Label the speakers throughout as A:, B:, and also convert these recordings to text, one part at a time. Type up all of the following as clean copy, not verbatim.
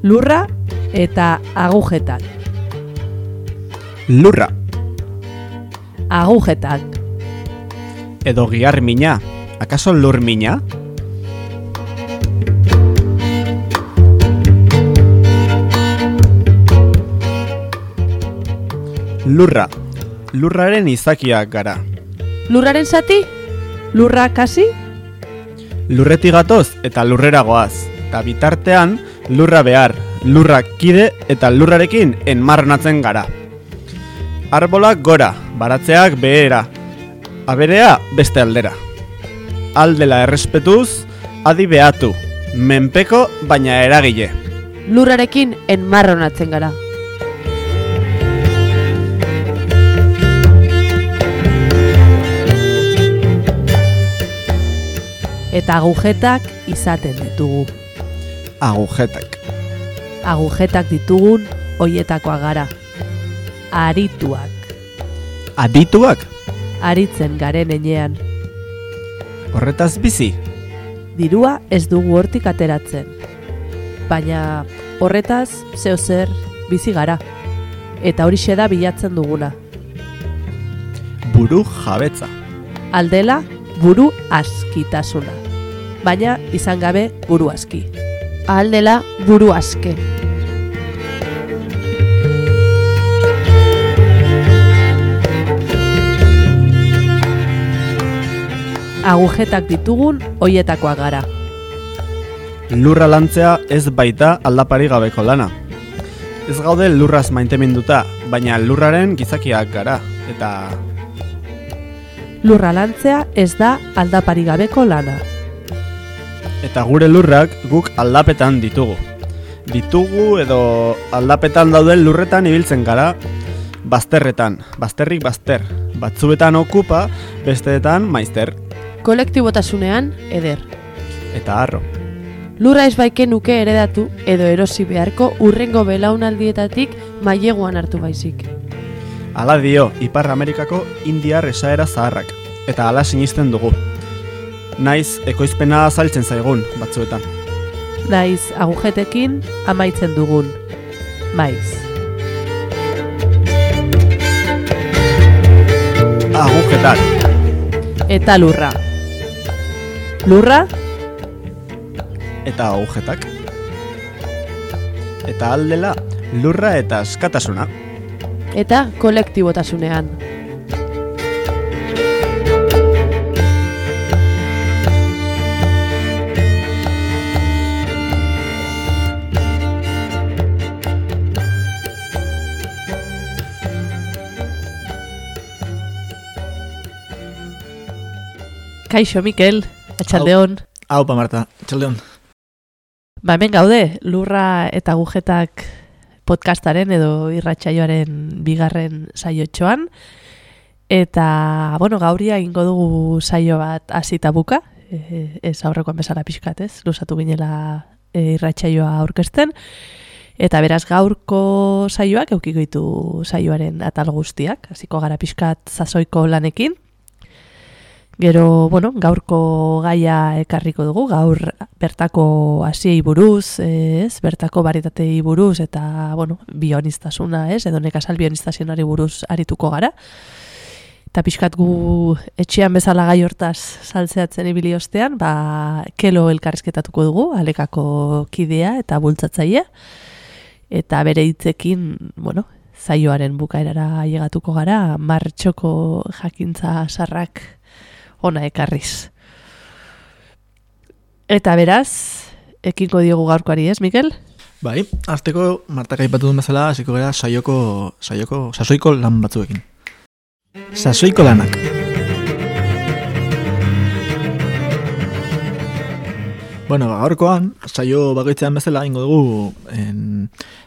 A: Lurra eta agujetak.
B: Lurra.
A: Agujetak.
B: Edo gihar mina. Akaso lur mina? Lurra. Lurraren izakiak gara.
A: Lurraren zati? Lurra kasi?
B: Lurretik gatoz eta lurrera goaz. Eta bitartean, lurra behar, lurra kide eta lurrarekin enmarronatzen gara. Arbolak gora, baratzeak behera, aberea beste aldera. Aldela errespetuz, adi behatu, menpeko baina eragile.
A: Lurrarekin enmarronatzen gara. Eta agujetak izaten ditugu.
B: Agujetak.
A: Agujetak ditugun hoietakoak gara. Arituak.
B: Adituak?
A: Aritzen garen enean.
B: Horretaz bizi?
A: Dirua ez dugu hortik ateratzen. Baina horretaz zeo zer bizi gara. Eta horixe da bilatzen duguna.
B: Buru jabetza.
A: Aldela buru askitasuna. Baina izan gabe buru aski. Aldela buru aske. Agujetak ditugun hoietakoak gara.
B: Lurra lantzea ez baita aldapari gabeko lana. Ez gaude lurraz maiteminduta, baina lurraren gizakiak gara, eta...
A: Lurra lantzea ez da aldapari gabeko lana.
B: Eta gure lurrak guk aldapetan ditugu. Ditugu edo aldapetan dauden lurretan ibiltzen gara, bazterretan, bazterrik bazter. Batzuetan okupa, besteetan maizter.
A: Kolektibotasunean eder.
B: Eta harro.
A: Lurra ez baike nuke heredatu edo erosi beharko urrengo belaunaldietatik maileguan hartu baizik.
B: Hala dio, Ipar Amerikako indiar esaera zaharrak, eta hala sinisten dugu. Naiz, ekoizpena azaltzen zaigun, batzuetan.
A: Naiz, agujetekin amaitzen dugun. Maiz.
B: Agujetak.
A: Eta lurra. Lurra?
B: Eta agujetak. Eta aldela, lurra eta askatasuna.
A: Eta kolektibotasunean. Kaixo, Mikel, atxaldeon.
C: Aupa, Marta, atxaldeon.
A: Ba, hemen gaude, lurra eta agujetak podcastaren edo irratsaioaren bigarren saiotxoan. Eta, bueno, gauria egingo dugu saio bat hasita buka. Ez aurrekoan bezala pixkat, ez? Luzatu ginela irratsaioa aurkezten. Eta beraz gaurko saioak eukiko ditu saioaren atal guztiak. Hasiko gara pixkat sasoiko lanekin. Gero, bueno, gaurko gaia ekarriko dugu, gaur bertako hasiei buruz, bertako barietatei buruz, eta, bueno, bionistasuna, edo nekazal bionistazionari buruz arituko gara. Eta pixkat gu etxean bezala gai hortaz saltzeatzen ibili ostean, ba, Kelo elkarrizketatuko dugu, Alekako kidea eta bultzatzailea. Eta bere hitzekin, bueno, saioaren bukaerara ailegatuko gara, martxoko jakintza sarrak ona ekarriz. Eta beraz, ekingo diogu gaurkoari, ez, Mikel?
C: Bai, hasteko Martak aipatu duen bezala, hasiko gara sasoiko lan batzuekin. Sasoiko lanak. Bueno, gaurkoan, saio bakoitzean bezala ingo dugu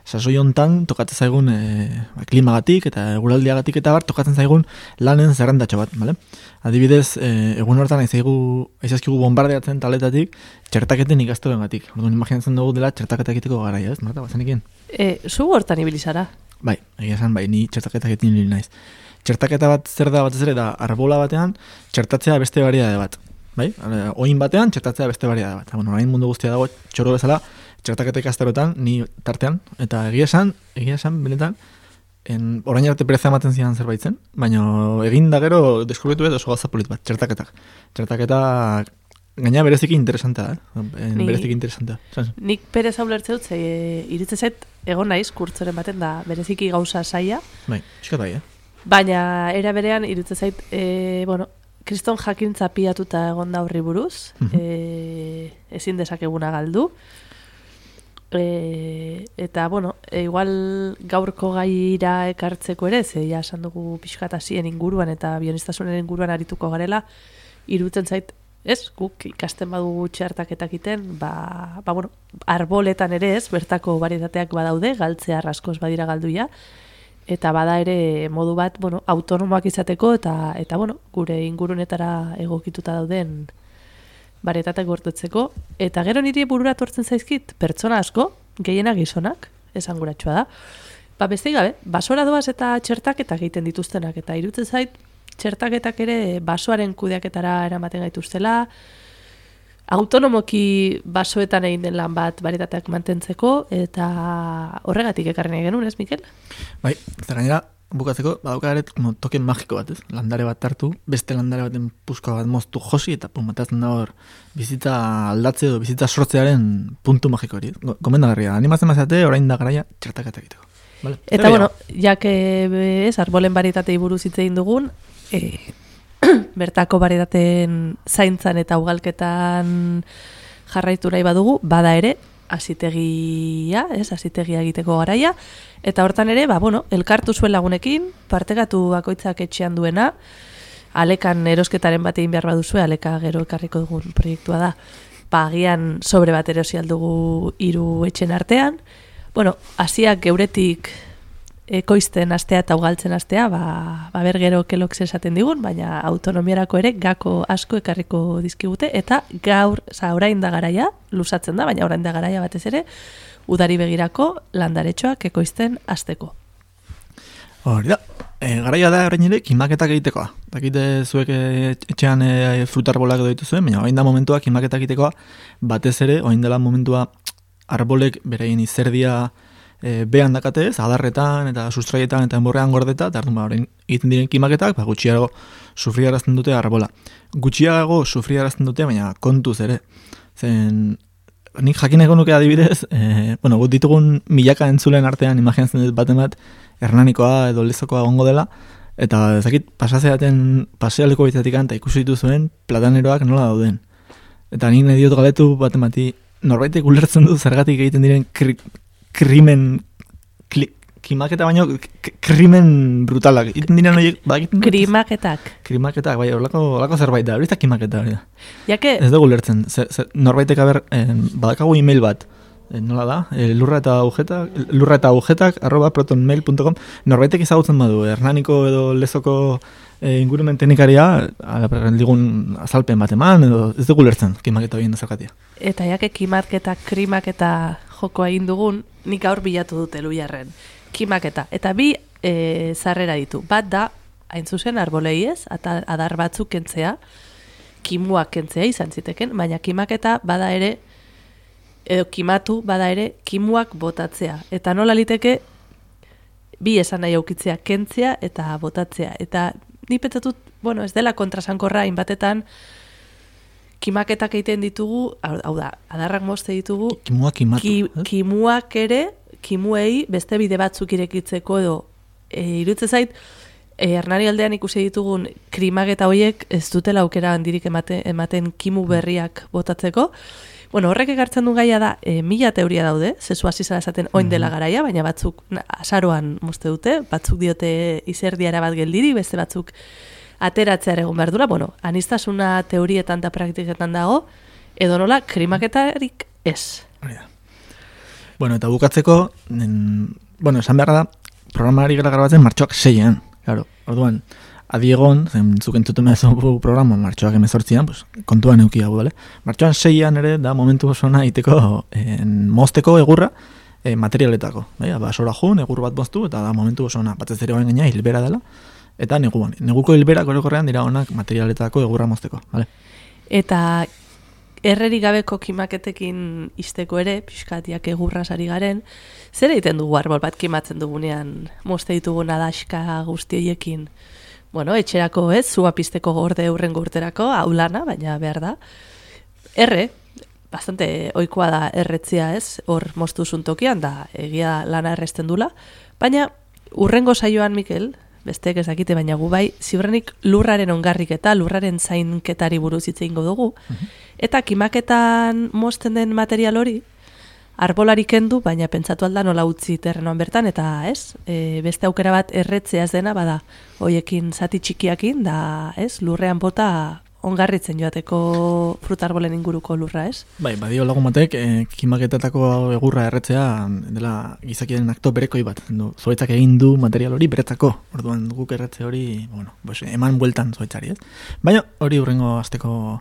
C: sasoi hontan tokatzen zaigun klimagatik eta eguraldiagatik eta bar tokatzen zaigun lanen zerrendatxo bat, bale? Adibidez, egun hortan aizazkigu bombardeatzen taletatik txertaketen ikastorengatik. Orduan imaginatzen dugu dela txertaketa egiteko garaia, ez? Marta, bazenekin?
A: Zu hortan ibili zara?
C: Bai, egia esan, bai, ni txertaketa egiten ibili naiz. Txertaketa bat zer da batez ere da arbola batean txertatzea beste variedade bat. Bai? Oin batean txertatzea beste variedade bat. Bueno, orain mundu guztia dago txoro bezala txertaketa ikastarotan, ni tartean, eta egia esan, benetan, orain arte pereza ematen zidan zerbait zen, baina egin da gero deskubritu edo oso gauza polit bat, txertaketak. Txertaketak gaina bereziki interesantea, bereziki interesantea.
A: Nik pereza ulertze dut, iritze zait, egon naiz, kurtzoren baten da, bereziki gauza saia.
C: Bai, pixkat bai,
A: Baina, era berean, iritze zait, kriston jakintza piatuta egon da horri buruz, ezin dezakeguna galdu. Eta, igual gaurko gaira ekartzeko ere, ja esan dugu pixkatasien inguruan eta bionistasunen inguruan arituko garela, irutzen zait, guk ikasten badugu txertaketak iten, arboletan ere bertako varietateak badaude, galtzea askoz badira galduia, eta bada ere modu bat, autonomoak izateko eta gure ingurunetara egokituta dauden varietateak gortetzeko, eta gero niri burura tortzen zaizkit, pertsona asko, gehiena gizonak, esanguratsua da. Beste gabe, basora doaz eta txertaketak egiten dituztenak, eta irutzen zait, txertaketak ere basoaren kudeaketara eramaten gaituztela, autonomoki basoetan egin den lan bat varietateak mantentzeko, eta horregatik ekarri nahi genuen, ez, Mikel?
C: Bai, eta gainera, bukatzeko, badaukaret token magiko bat, ez? Landare bat hartu, beste landare baten puska bat moztu josi, eta matatzen da hor bizitza aldatze edo bizitza sortzearen puntu magiko hori. Gomendagarria, animatzen mazate, orain da garaia txertaketa egiteko. Vale.
A: Eta jak arbolen varietatei buruz hitz egin dugun, bertako varietateen zaintzan eta ugalketan jarraitu nahi badugu, bada ere, hasitegia egiteko garaia, eta hortan ere, elkartu zuen lagunekin, partekatu bakoitzak etxean duena, alekan erosketaren bat egin behar baduzue, aleka gero ekarriko dugun proiektua da, agian sobre bat erosi aldugu 3 etxen artean, hasiak geuretik ekoizten astea eta ugaltzen astea, ber gero kelok esaten digun, baina autonomiarako ere gako asko ekarriko dizkigute, eta gaur, orain da garaia, lusatzen da, baina orain da garaia batez ere, udari begirako landaretxoak ekoizten hasteko.
C: Hori da, garaia da orain ere kimaketak egitekoa. Dakite zuek etxean frutarbolak edo dituzuen, baina orain da momentua kimaketak egitekoa, batez ere, orain dela momentua arbolek beraien izerdia behan dakate ez, adarretan eta sustraietan eta enborrean gordeta, eta orain egiten diren kimaketak, gutxiago sufriarazten dute arbola. Gutxiago sufriarazten dute, baina kontuz ere. Zen, nik jakineko nuke adibidez, gut ditugun milaka entzulen artean, imaginatzen dut baten bat, hernanikoa edo lezokoa gongo dela, eta ezakit pasazeaten pasealeko bitatikan eta ikusi dituzuen plataneroak nola dauden. Eta nik nahi diot galetu baten bati, norbaitek ulertzen du zergatik egiten diren kimaketa baino krimen brutalak. Iten diren horiek, krimaketak, bai, horlako zerbait da, hori da kimaketa, hori da. Ez dugu ulertzen, norbaitek badakagu email bat, nola da, lurra eta agujetak @protonmail.com, norbaitek ezagutzen badu, hernaniko edo lezoko ingurumen teknikaria, digun azalpen bat eman, edo ez dugu ulertzen kimaketa horien zergatia.
A: Eta kimaketa, krimaketa joko egin dugun, nik gaur bilatu dute Luiarren. Kimaketa. Eta bi zarrera ditu. Bat da, hain zuzen arbolei ez, eta adar batzuk kentzea, kimuak kentzea izan ziteken, baina kimaketa bada ere, edo kimatu bada ere, kimuak botatzea. Eta nola liteke, bi esan nahi aukitzea, kentzea eta botatzea. Eta ni pentsatut, ez dela kontrasankorra, inbatetan, kimaketak egiten ditugu, hau da, adarrak mozte ditugu, kimuak ere, kimuei beste bide batzuk irekitzeko edo, irutze zait, Hernani aldean ikusi ditugun krimaketa horiek ez dutela aukera handirik ematen kimu berriak botatzeko. Horrek ekartzen du gaia da, 1000 teoria daude, zezu hasi zara esaten oin dela garaia, baina batzuk azaroan mozte dute, batzuk diote izerdiara bat geldiri, beste batzuk ateratzea egon behar dura, anistasuna teorietan eta praktiketan dago, edo nola, krimaketarik ez.
C: Eta bukatzeko, esan behar da, programari gara grabatzen martxoak 6an, claro, orduan, adiegon, zuk entzuten mehazu programa martxoak 18an, kontuan eukia gu, martxoan 6an ere, da momentu osona iteko mozteko egurra materialetako, basora jun, egur bat moztu, eta da momentu osona, batez ere hoen gaina hilbera dela, eta neguan. Neguko hilberak orokorrean dira honak materialetako egurra mozteko. Vale?
A: Eta errerik gabeko kimaketekin izteko ere, pixkatiak egurra sari garen, zer egiten dugu arbol bat kimatzen dugunean, mozte ditugun adaxka guztiekin? Bueno, etxerako ez, zua pizteko gorde urrengo urterako, aulana, baina behar da. Bastante ohikoa da erretzia ez, hor moztu zuntokian, da egia lana erresten dula, baina urrengo saioan, Mikel, besteek ezakite, baina gu bai, ziurrenik lurraren ongarrik eta lurraren zainketari buruz hitz egingo dugu, eta kimaketan mozten den material hori, arbolari kendu, baina pentsatu alda nola utzi terrenoan bertan, eta ez, beste aukera bat erretzeaz dena, bada, hoiekin zati txikiakin, da ez, lurrean bota ongarritzen joateko frutarbolen inguruko lurra, ez?
C: Bai, badio lagun batek, kimaketatako egurra erretzea dela gizakiaren akto berekoi bat. Zuaitzak egin du material hori beretzako. Orduan guk erretze hori, bueno, eman bueltan zuaitzari, ez? Baina hori hurrengo asteko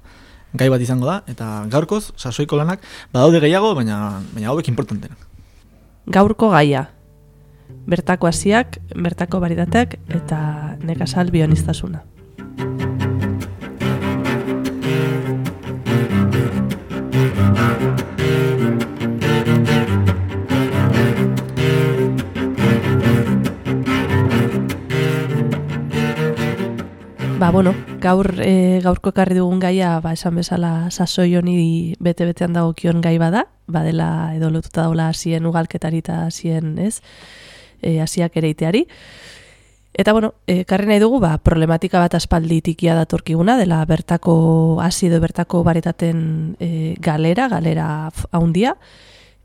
C: gai bat izango da, eta gaurkoz, sasoiko lanak, badaude gehiago, baina hauek importantenak.
A: Gaurko gaia, bertako hasiak, bertako baritateak, eta nekazal bionistasuna. Gaurko ekarri dugun gaia, esan bezala sasoi honi bete-betean dagokion gai bada, badela edo lotuta daula hasien ugalketari eta hasien, ez, hasiak ereiteari. Eta ekarri nahi dugu, problematika bat aspaldi tikia datorkiguna, dela bertako hasi edo bertako baritaten galera haundia,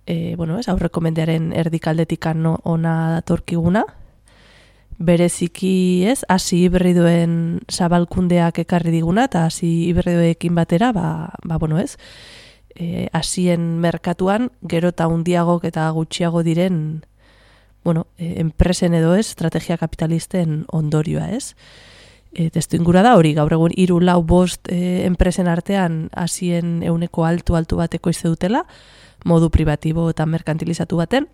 A: aurreko mendearen erdikaldetik ona datorkiguna, bereziki ez, hasi hibridoen zabalkundeak ekarri diguna, eta hasi hibridoekin batera, hasien merkatuan, gero eta hundiagok eta gutxiago diren, enpresen edo ez, estrategia kapitalisten ondorioa ez. Testu ingura da hori, gaur egun 3-4-5 enpresen artean hasien euneko altu bateko izte dutela, modu privatibo eta merkantilizatu baten,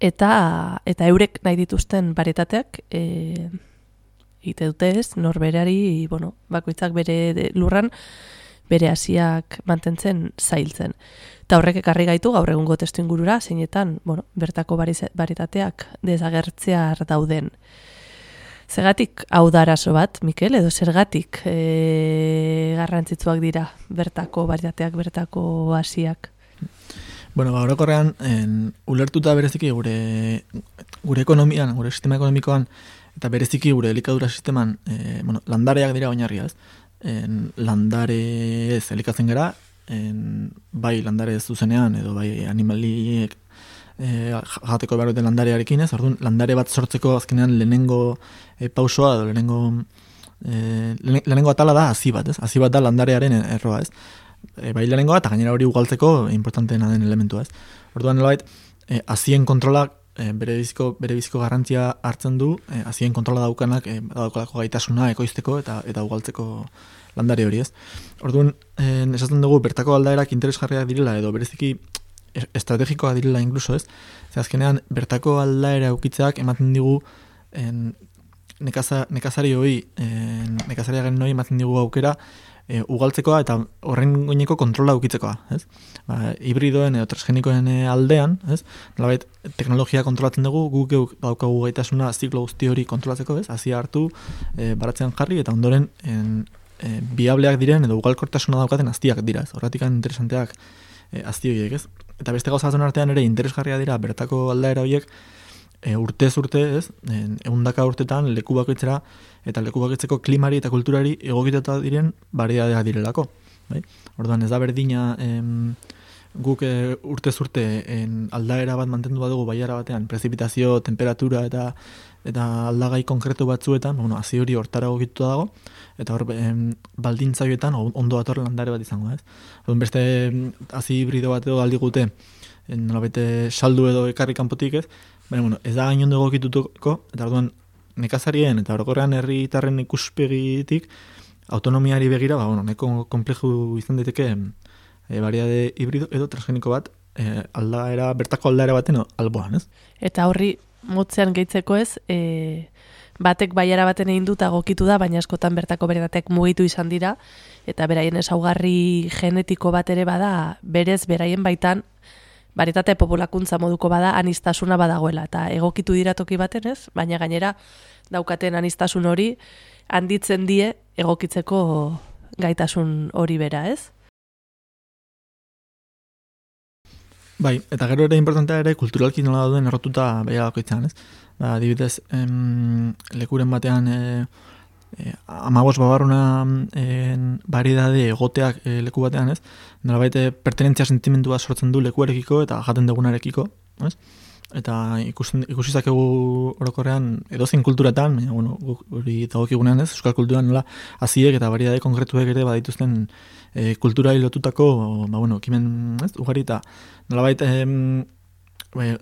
A: eta eurek nahi dituzten baritateak egite dute ez, norberari, bakoitzak bere lurran, bere hasiak mantentzen zailtzen. Eta horrek ekarri gaitu gaur egungo testu ingurura, zeinetan, bertako baritateak desagertzear dauden. Zergatik hau da arazo bat, Mikel, edo zergatik garrantzitsuak dira bertako baritateak, bertako hasiak?
C: Orokorrean, ulertuta bereziki gure ekonomian, gure sistema ekonomikoan, eta bereziki gure elikadura sisteman, landareak dira oinarria, ez? Landare ez elikatzen gara, bai landare ez zuzenean, edo bai animaliek jateko behar duten landarearekin, ez? Orduan, landare bat sortzeko azkenean lehenengo pausoa, edo lehenengo atala da hasi bat, ez? Hasi bat da landarearen erroa, ez? Bai lehenengoa, eta gainera hori ugaltzeko importanteena den elementua, ez? Orduan, hasien kontrolak bere biziko garrantzia hartzen du, hasien kontrola daukanak daukalako gaitasuna ekoizteko eta ugaltzeko landare hori, ez? Orduan, esaten dugu bertako aldaerak interesgarriak direla edo bereziki estrategikoak direla inkluso, ez? Ze azkenean bertako aldaera ukitzeak ematen digu nekazariaren noi ematen digu aukera ugaltzekoa eta horren goineko kontrola ukitzekoa, ez? Hibridoen edo transgenikoen aldean, ez? Nolabait teknologia kontrolatzen dugu, guk daukagu gaitasuna ziklo guzti hori kontrolatzeko, ez? Hasia hartu, baratzean jarri eta ondoren biableak diren edo ugalkortasuna daukaten aztiak dira, ez? Horretik interesanteak azti horiek, ez? Eta beste gauza batzuen artean ere interesgarria dira bertako aldaera horiek urtez urte, ez? 100 urtetan leku bakoitzera eta leku bakoitzeko klimari eta kulturari egokituta diren variadeak direlako, bai? Orduan ez da berdina guk urtez urte aldaera bat mantendu badugu baiara batean, prezipitazio, temperatura eta aldagai konkretu batzuetan, hasi hori hortara egokituta dago, eta hor baldintza horietan ondo dator landare bat izango, ez? Orduan beste hasi hibrido bat edo aldigute, nolabete saldu edo ekarri kanpotik, ez? Baina, ez da gainondo egokitutuko, eta orduan nekazarien eta orokorrean herritarren ikuspegitik autonomiari begira, neko kompleju izan daiteke variade hibrido edo transgeniko bat bertako aldaera baten alboan, ez?
A: Eta horri motzean gehitzeko ez, batek baiara baten egin dut agokitu da, baina askotan bertako beretatek mugitu izan dira, eta beraien ezaugarri genetiko bat ere bada, berez beraien baitan, barietate populakuntza moduko bada, aniztasuna badagoela, eta egokitu dira toki baten ez, baina gainera daukaten aniztasun hori handitzen die egokitzeko gaitasun hori bera, ez?
C: Bai, eta gero ere importantea ere kulturalki nola dauden errotuta beha bakoitzan, ez? Ba, adibidez, lekuren batean 15 babarruna variedade egoteak leku batean, ez? Nolabait pertenentzia sentimendua sortzen du lekuarekiko eta jaten dugunarekiko, ez? Eta ikusi zakegu orokorrean edozein kulturatan, baina bueno, hori dagokigunean, ez? Euskal kulturan nola haziek eta variedade konkretuek ere badituzten kulturai lotutako, ba bueno, ekimen, ez? Ugari eta nolabait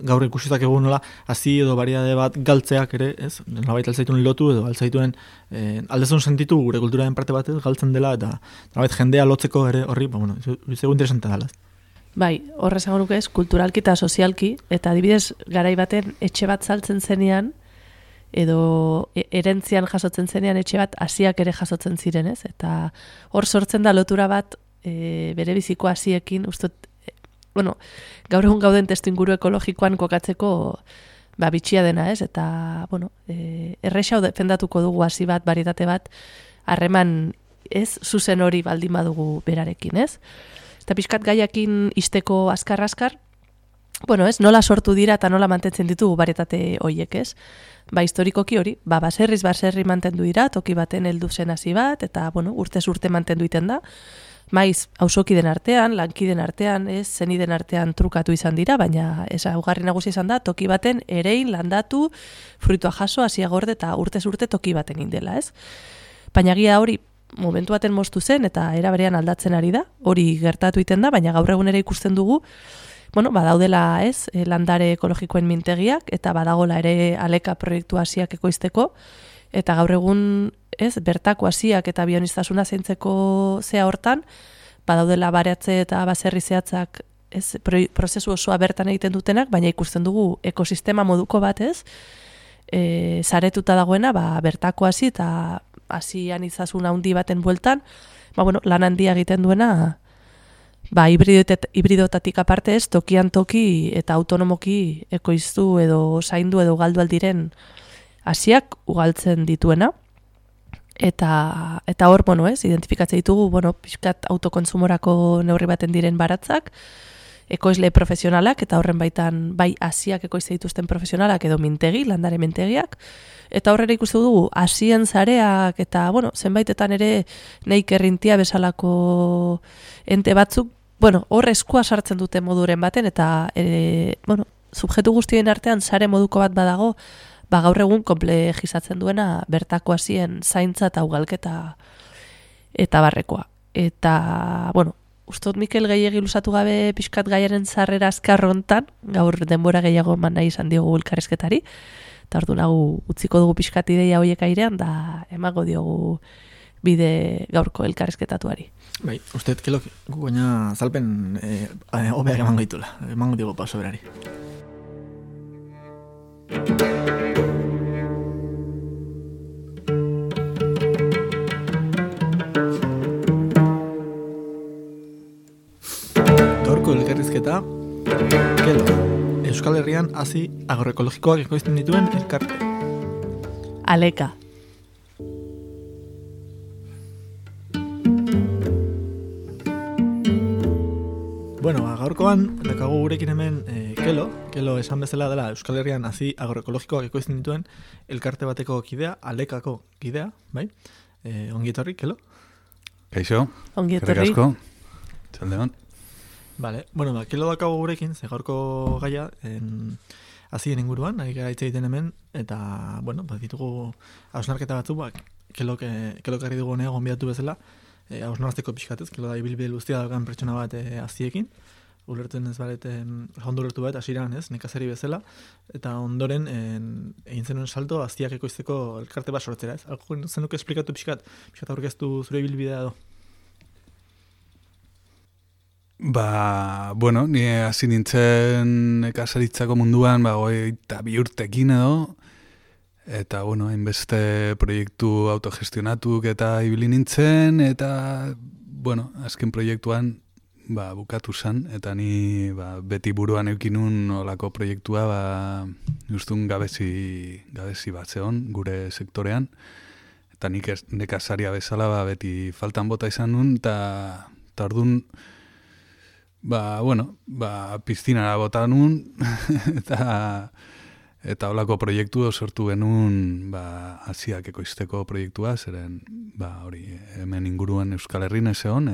C: gaur ikusi zakegu nola hazi edo variedade bat galtzeak ere, ez? Nolabait altzaituen lotu edo altzaituen aldezun sentitu gure kulturaren parte bat galtzen dela eta nolabait jendea lotzeko ere horri, ba bueno, zego interesante dela.
A: Bai, horrez egon nuke ez, kulturalki eta sozialki, eta adibidez garai baten etxe bat saltzen zenean, edo erentzian jasotzen zenean etxe bat hasiak ere jasotzen ziren, ez? Eta hor sortzen da lotura bat bere biziko hasiekin, ustot, bueno, gaur egun gauden testuinguru ekologikoan kokatzeko ba, bitxia dena, ez? Eta, bueno, errexau defendatuko dugu hasi bat, barietate bat, harreman ez zuzen hori baldin badugu berarekin, ez? Eta pixkat gaiakin isteko askar-askar, bueno, ez, nola sortu dira eta nola mantentzen ditugu barietate hoiek, ez? Ba, historikoki hori, ba, baserri mantendu dira, toki baten heldu zen hasi bat, eta, bueno, urtez urte mantendu iten da. Maiz, auzokiden artean, lankiden artean, ez, zeniden artean trukatu izan dira, baina ezaugarri nagusi izan da, toki baten erein, landatu, fruitua jaso, hasia gorde eta urtez urte toki baten indela, ez? Baina gia hori, momentu baten moztu zen eta era berean aldatzen ari da, hori gertatu iten da, baina gaur egun ere ikusten dugu, bueno, badaudela ez, landare ekologikoen mintegiak, eta badagola ere aleka proiektu hasiak ekoizteko, eta gaur egun ez, bertako hasiak eta bioniztasuna zeintzeko zea hortan, badaudela baratze eta baserri zehatzak ez, prozesu osoa bertan egiten dutenak, baina ikusten dugu ekosistema moduko bat ez, saretuta dagoena, ba, bertako hasi eta hasian izazun handi baten bueltan, ba, bueno, lan handia egiten duena, ba, hibridotatik aparte ez, tokian toki eta autonomoki ekoiztu edo zaindu edo galdu aldiren hasiak ugaltzen dituena. Eta hor, bueno, ez, identifikatzen ditugu, bueno, pixkat autokontsumorako neurri baten diren baratzak, ekoizle profesionalak, eta horren baitan bai hasiak ekoizte dituzten profesionalak edo mintegi, landare mintegiak, eta horrela ikustu dugu hasien zareak eta, bueno, zenbaitetan ere neik errintia bezalako ente batzuk, bueno, hor eskua sartzen dute moduren baten, eta, bueno, subjektu guztien artean sare moduko bat badago, ba gaur egun komplejizatzen duena bertako hasien zaintza eta ugalketa eta barrekoa. Eta, bueno, ustot Mikel gehiegi lusatu gabe pixkat gaiaren zarrera azkar hontan, gaur denbora gehiago eman nahi izan diogu elkarrizketari, eta ordu nagu utziko dugu pixkat ideia horiek airean, da emago diogu bide gaurko elkarrizketatuari.
C: Bai, uste kelok gu baina zalpen hobeak emango ditula, emango diogu paso berari. Gaurko elkarrizketa, Kelo, Euskal Herrian hazi agroekologikoak ekoizten dituen elkarte.
A: Aleka.
C: Bueno, gaurkoan, dakagu gurekin hemen Kelo esan bezala dela Euskal Herrian hazi agroekologikoak ekoizten dituen elkarte bateko kidea, Alekako kidea, bai? Ongi etorri, Kelo?
D: Kaixo,
A: Ongi etorri.
D: Gerrik asko, txaldeon.
C: Vale, bueno, Kelo dakago gurekin, ze gaurko gaia hazien inguruan, ari gara hitz egiten hemen, eta, bueno, ditugu hausnarketa batzuk, Kelok harri dugu honea gonbidatu bezala, hausnartzeko pixkatez, Kelo da ibilbide luztia daukan pertsona bat haziekin, ulertzen ez baret, ondo ulertu bat, hasiran ez, nekazari bezala, eta ondoren egin zenuen salto haziak ekoizteko elkarte bat sortzera, ez? Alko zenuke esplikatu pixkat aurkeztu zure ibilbidea edo?
D: Ba, bueno, ni hasi nintzen nekazaritzako munduan, ba, 22 urtekin edo, Eta, bueno, hainbeste proiektu autogestionatuk eta ibili nintzen, eta, bueno, azken proiektuan, bukatu zen, eta ni beti buruan eukinun olako proiektua, justun gabezi bat zeon, gure sektorean, eta nik nekazaria bezala beti faltan bota izan nun, eta orduan, piztinara bota nun, eta holako proiektu sortu genuen Asiak ekoizteko proiektua, zeren hori hemen inguruan Euskal Herrin ezeon,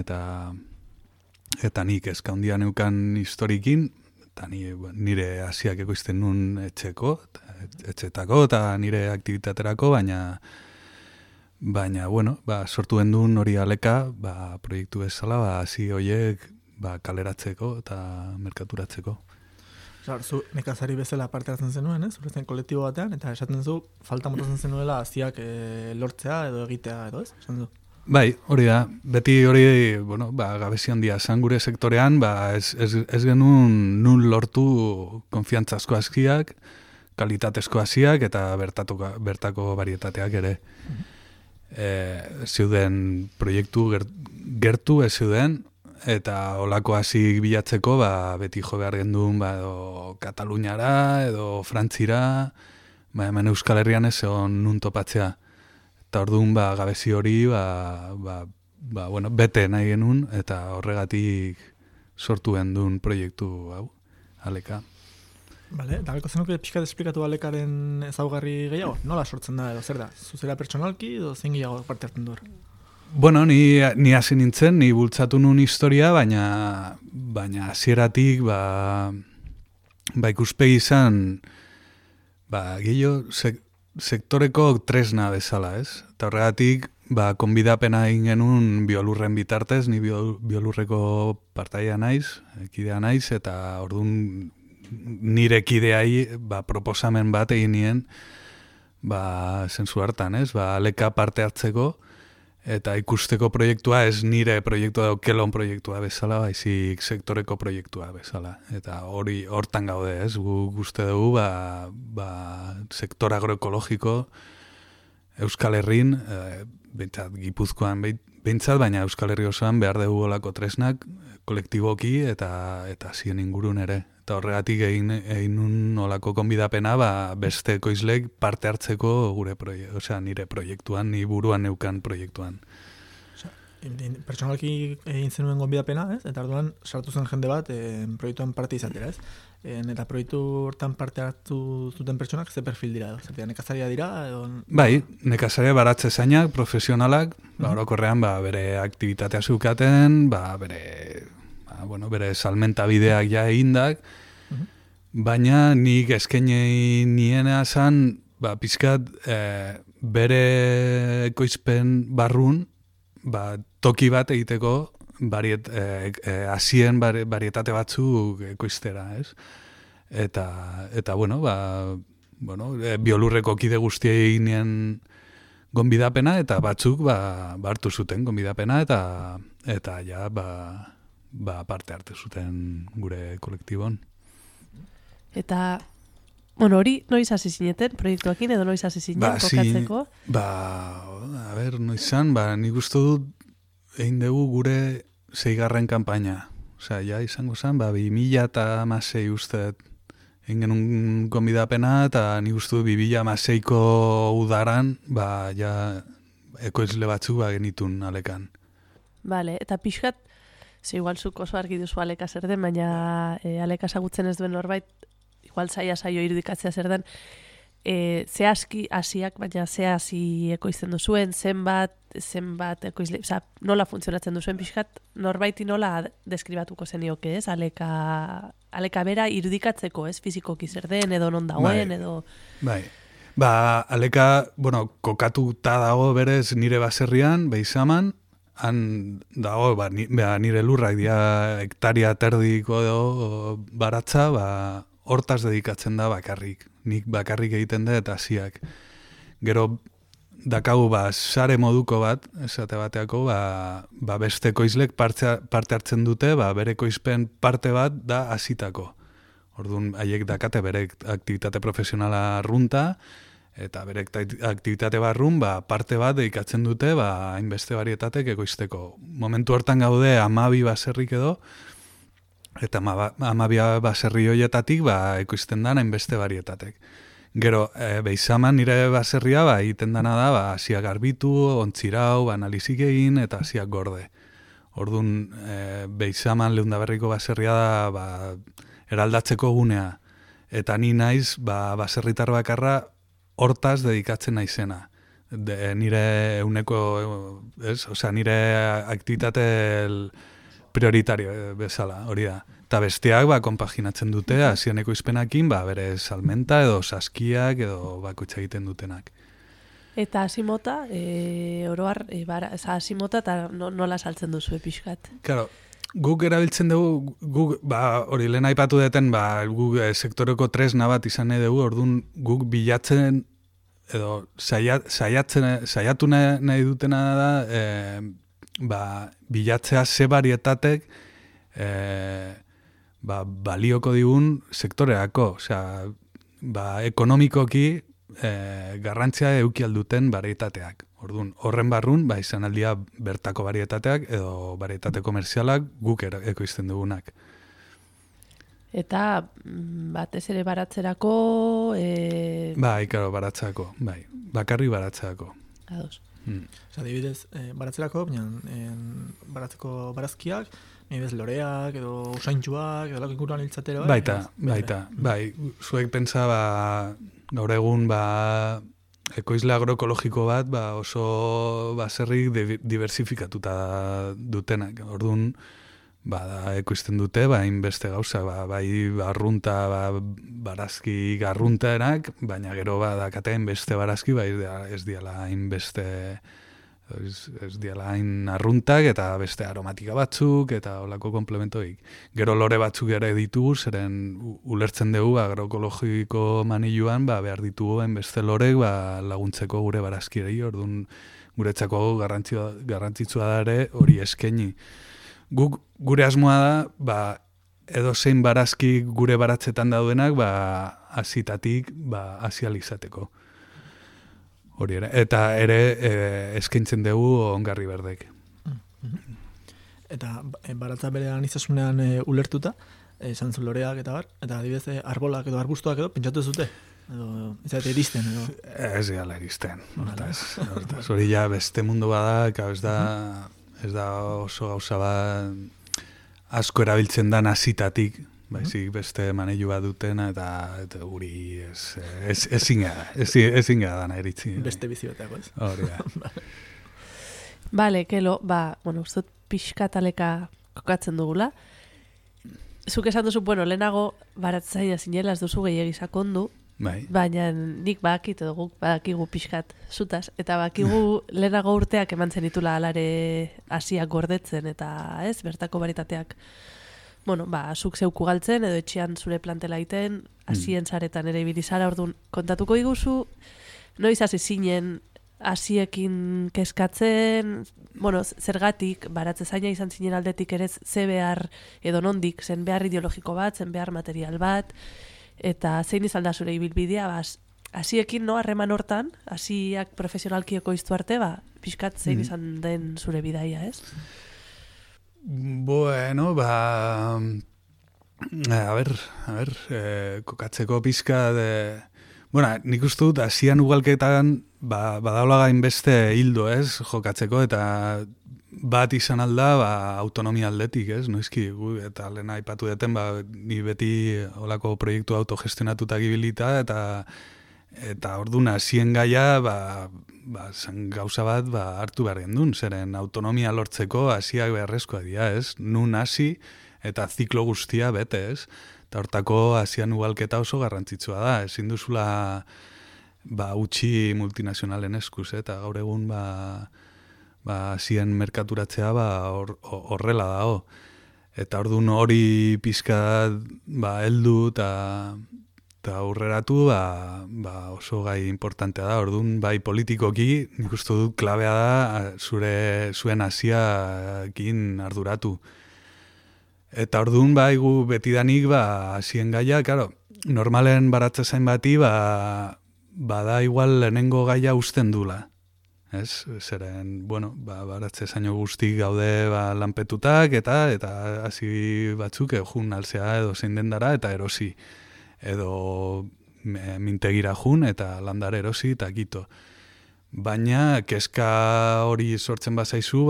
D: eta nik eska handia neukan historikin, eta nire Asiak ekoizten nun etxetako eta nire aktivitaterako, baina bueno, sortu gendun hori Aleka, proiektu bezala, Asi horiek kaleratzeko eta merkaturatzeko.
C: Zu nekazari bezala parte hartzen zenuen, zuretzen kolektibo batean, eta esaten zu, falta motatzen zenuela Asiak lortzea edo egitea edo, ez? Esan du?
D: Bai, hori da. Beti hori, gabezi handia zan gure sektorean, ez genuen nun lortu konfiantzazko Asiak, kalitatezko Asiak eta bertako varietateak ere. Zeuden proiektu gertu ez zeuden, eta olako Asik bilatzeko beti jo behar genduen edo Kataluniara edo Frantzira, hemen Euskal Herrian ez egon nun topatzea. Eta orduan gabezi hori bete nahi genuen, eta horregatik sortu genduen proiektu hau, Aleka.
C: Bale, eta galko zenuke pixkat esplikatu Alekaren ezaugarri gehiago? Nola sortzen da edo zer da? Zuzera pertsonalki edo zein gehiago parte hartzen du hor?
D: Bueno, ni hasi nintzen, ni bultzatu nun historia, baina hasieratik ikuspegi izan gehiago sektoreko tresna bezala, ez? Eta horregatik konbidapena egin genuen biolurren bitartez, ni biolurreko partaia naiz, kidea naiz, eta orduan nire kideai proposamen bat egin nien zentzu hartan, ez? Aleka parte hartzeko, eta ikusteko proiektua ez nire proiektua edo kelon proiektua bezala, baizik sektoreko proiektua bezala. Eta hori hortan gaude, ez? Uste dugu, sektor agroekologiko Euskal Herrin, behintzat Gipuzkoan behintzat, baina Euskal Herri osoan behar dugu olako tresnak, kolektiboki eta zien ingurun ere. Eta horregatik egin nun olako konbidapena beste ekoizlek parte hartzeko nire proiektuan, ni buruan neukan proiektuan.
C: Pertsonalki egin zenuen konbidapena, ez? Eta orduan sartu zen jende bat proiektuan parte izatera, ez? Eta proiektu hortan parte hartu zuten pertsonak ze perfil dira edo? Zertia, nekazaria dira edo?
D: Bai, nekazaria baratze zainak, profesionalak, orokorrean bere aktibitatea zeukaten, bere salmenta bideak ja egindak, baina nik eskaini niena zan, pizkat bere ekoizpen barrun, toki bat egiteko Asien varietate batzuk ekoiztera, ez? Eta biolurreko kide guztiei eginen gonbidapena, eta batzuk hartu zuten gonbidapena, eta ja parte hartu zuten gure kolektibon.
A: Eta, hori noiz hasi zineten proiektuakin edo noiz hasi zinen kokatzeko?
D: Noizan, nik uste dut egin dugu gure 6. kanpaina. Osea, ja izango zen, 2016 uste egin genuen gonbidapena, eta nik uste dut 2016ko udaran, ja ekoizle batzuk genitun Alekan.
A: Bale, eta pixkat, igual zuk oso argi duzu Aleka zer den, baina Aleka ezagutzen ez duen norbait, igual saio irudikatzea zer den, ze aski Asiak, baina ze Asi ekoizten duzuen, zenbat ekoizle, nola funtzionatzen duzuen pixkat, norbaiti nola deskribatuko zenioke, ez? Aleka bera irudikatzeko, ez? Fizikoki zer den, edo non dagoen, edo...
D: Bai. Aleka, kokatuta dago berez nire baserrian, Beizaman, han dago, nire lurrak dira hektaria terdiko edo baratza, hortaz dedikatzen da bakarrik. Nik bakarrik egiten da eta Asiak. Gero dakagu sare moduko bat, esate bateako, beste ekoizlek parte hartzen dute, bere ekoizpen parte bat da Asitako. Orduan, haiek dakate bere aktivitate profesionala runta, Eta bere aktivitate barrun, parte bat dedikatzen dute, hainbeste varietatek ekoizteko. Momentu hortan gaude 12 baserrik edo, eta 12 baserri horietatik ekoizten da hainbeste varietatek. Gero, Beizaman nire baserria egiten dana da, hasiak garbitu, ontzirau, analizik egin, eta hasiak gorde. Orduan, Beizaman Leundaberriko baserria da, eraldatzeko gunea. Eta ni naiz, baserritar bakarra, hortaz dedikatzen naizena. Nire euneko, nire aktivitate prioritario bezala, hori da. Eta besteak konpaginatzen dute, hasien ekoizpenakin, bere salmenta edo saskiak edo bakoitza egiten dutenak.
A: Eta asimota, oroar, asimota eta nola saltzen duzu pixkat?
D: Claro, guk erabiltzen dugu, hori lehen aipatu deten, guk sektoreko tresna bat izan nahi dugu, orduan guk bilatzen, edo saiatu nahi dutena da, bilatzea ze varietatek balioko digun sektoreako, osea, ekonomikoki garrantzia eduki alduten varietateak. Orduan, horren barrun, izan aldia bertako varietateak edo varietate komerzialak guk ekoizten dugunak.
A: Eta batez ere baratzerako...
D: Ikaro, baratzerako, bakarri baratzerako.
A: Ados.
C: Adibidez, baratzerako, baratzeko barazkiak, nibez loreak edo usaintxuak edo lako inguruan hiltzatera.
D: Baita. Zuek pentsa, gaur egun, ekoizle agroekologiko bat, oso baserrik diversifikatuta dutenak. Orduan, ekoizten dute, hainbeste gauza, arrunta, barazki garruntaenak, baina gero dakate hainbeste barazki, ez diala hainbeste, ez diala hain arruntak, eta beste aromatika batzuk, eta olako komplementoik. Gero lore batzuk ere ditugu, zeren ulertzen dugu agroekologiko maniluan, behar ditugu hainbeste lorek laguntzeko gure barazkirei, orduan guretzako garrantzitsua da ere hori eskaini. Gure asmoa da, edo zein barazki gure baratzetan daudenak, hasitatik hasializateko. Hori ere. Eta ere eskaintzen dugu ongarri berdek.
C: Eta baratza bere aniztasunean ulertuta, esan zu loreak eta eta adibidez arbolak edo arbustuak edo pentsatu zute? Edo izate iristen edo?
D: Ez gala iristen. Hortaz. Hori ja beste mundu bada, ez da oso gauza bat asko erabiltzen da hasitatik, baizik beste maneilu bat dutena eta guri ezin gara dana eritzi.
C: Beste bizi bateako ez.
D: Hori da.
A: Bale, kelo, uste pixkataleka kokatzen dugula. Zuk esan duzu, lehenago baratzaia zinela ez duzu gehiagi sakondu, baina nik badakit edo guk badakigu pixkat zutaz, eta badakigu lehenago urteak eman zenitula alare hasiak gordetzen, eta ez, bertako baritateak, zuk zeuku galtzen, edo etxean zure plantela iten, hasien zaretan ere ibilizara, orduan kontatuko diguzu, noiz hasi zinen hasiekin keskatzen, zergatik, baratze zaina izan zinen aldetik ere ze behar, edo nondik, zen behar ideologiko bat, zen behar material bat, eta zein izan da zure ibilbidea, hasiekin harreman hortan, hasiak profesionalki ekoiztu arte, pixkat zein izan den zure bidaia, ez?
D: Bueno, a ver, kokatzeko pixka de... Bueno, nik uste dut, hasian ugalketan, badaula gainbeste hildo, ez, jokatzeko, eta bat izan alda, autonomia aldetik, ez, noizki, eta lehen aipatu deten, ni beti olako proiektu autogestionatuta gibilita, eta orduan hasien gaia, zen gauza bat, hartu behar gendun, zeren autonomia lortzeko hasiak beharrezkoa dira, ez, nun hasi, eta ziklo guztia bete, ez, eta hortako hasian ugalketa oso garrantzitsua da, ezin duzula utxi multinazionalen eskuz, eta gaur egun hasien merkaturatzea horrela dago. Eta orduan hori pizka heldu eta aurreratu oso gai importantea da. Orduan bai politikoki nik uste dut klabea da zuen hasiakin arduratu. Eta orduan betidanik hasien gaia, claro, normalen baratze zain bati bada igual lehenengo gaia usten dula. Ez, zeren, bueno, baratze zaino guztik gaude lanpetutak eta hasi batzuk jun alzea edo zein dendara eta erosi. Edo mintegira jun eta landare erosi eta kito. Baina, keska hori sortzen bazaizu,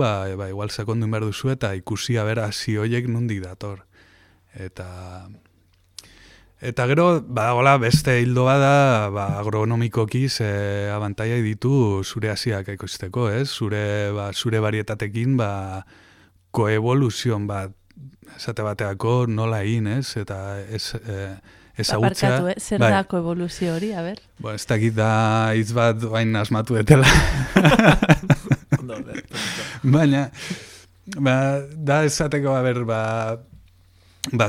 D: igual sakondu behar duzu eta ikusi abera hasi hoiek nondik dator. Eta gero, badagola beste hildo bada, agronomikoki ze abantaiak ditu zure hasiak ekoizteko, ez? Zure varietatekin, koevoluzion bat, esate bateako nola egin, ez? Eta ezagutza...
A: Aparkatu, zer da koevoluzio hori, a ber?
D: Ez dakit da hitz bat bain asmatu etela. Baina, da esateko, a ber,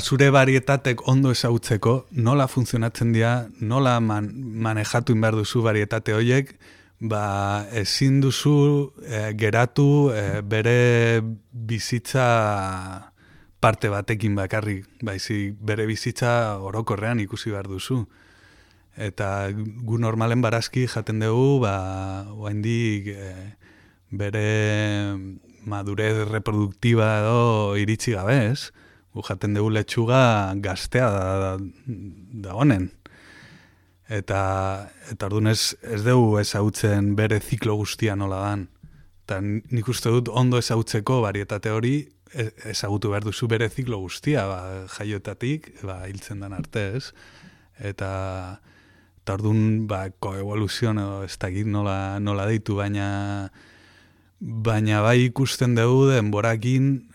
D: zure varietatek ondo ezagutzeko, nola funtzionatzen dira, nola manejatu inbar duzu varietate horiek, ezin duzu geratu bere bizitza parte batekin bakarrik, baizik bere bizitza orokorrean ikusi behar duzu. Eta gu normalen barazki jaten dugu, oaindik bere madurez reproduktiba edo iritsi gabe, ez? Gu jaten dugu letxuga gaztea da honen. Eta orduan ez dugu ezagutzen bere ziklo guztia nola dan. Eta nik uste dut ondo ezagutzeko varietate hori ezagutu behar duzu bere ziklo guztia, jaiotatik, hiltzen den arte, ez? Eta orduan koevoluzioan edo ez dakit nola deitu, baina bai ikusten dugu denborakin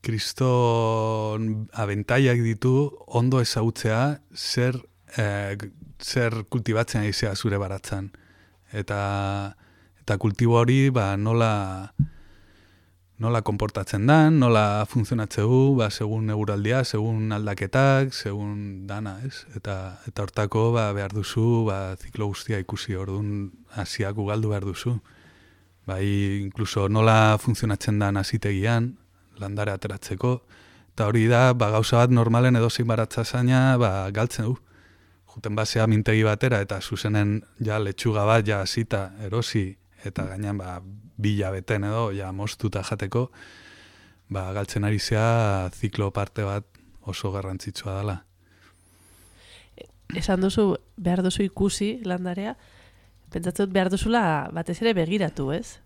D: kriston abentaiak ditu ondo ezagutzea zer kultibatzen aizea zure baratzan. Eta kultibo hori nola konportatzen dan, nola funtzionatzeu, segun eguraldia, segun aldaketak, segun dana, ez? Eta hortako behar duzu, ziklo guztia ikusi, orduan hasiak ugaldu behar duzu. Inkluso nola funtzionatzen dan hasitegian, landare ateratzeko, eta hori da, gauza bat normalen edozein baratza zaina, galtzen du. Juten basea mintegi batera, eta zuzenen letxuga bat hasita erosi, eta gainean bila beten edo, moztuta jateko, galtzen ari zea ziklo parte bat oso garrantzitsua dela.
A: Esan duzu, behar duzu ikusi landarea, pentsatzen behar duzula batez ere begiratu, ez?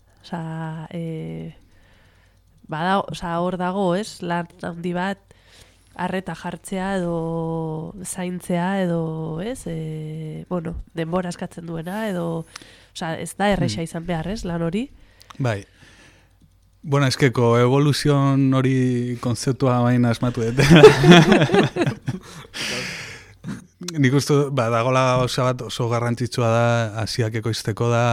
A: Hor dago, ez? Lan handi bat, arreta jartzea edo zaintzea edo, ez? Denbora eskatzen duena edo, ez da erresa izan behar, ez? Lan hori?
D: Bai. Bueno, eskeko evoluzion hori konzeptua baina asmatu dut. Nik uste, dagoela oso garrantzitsua da, hasiak ekoizteko da,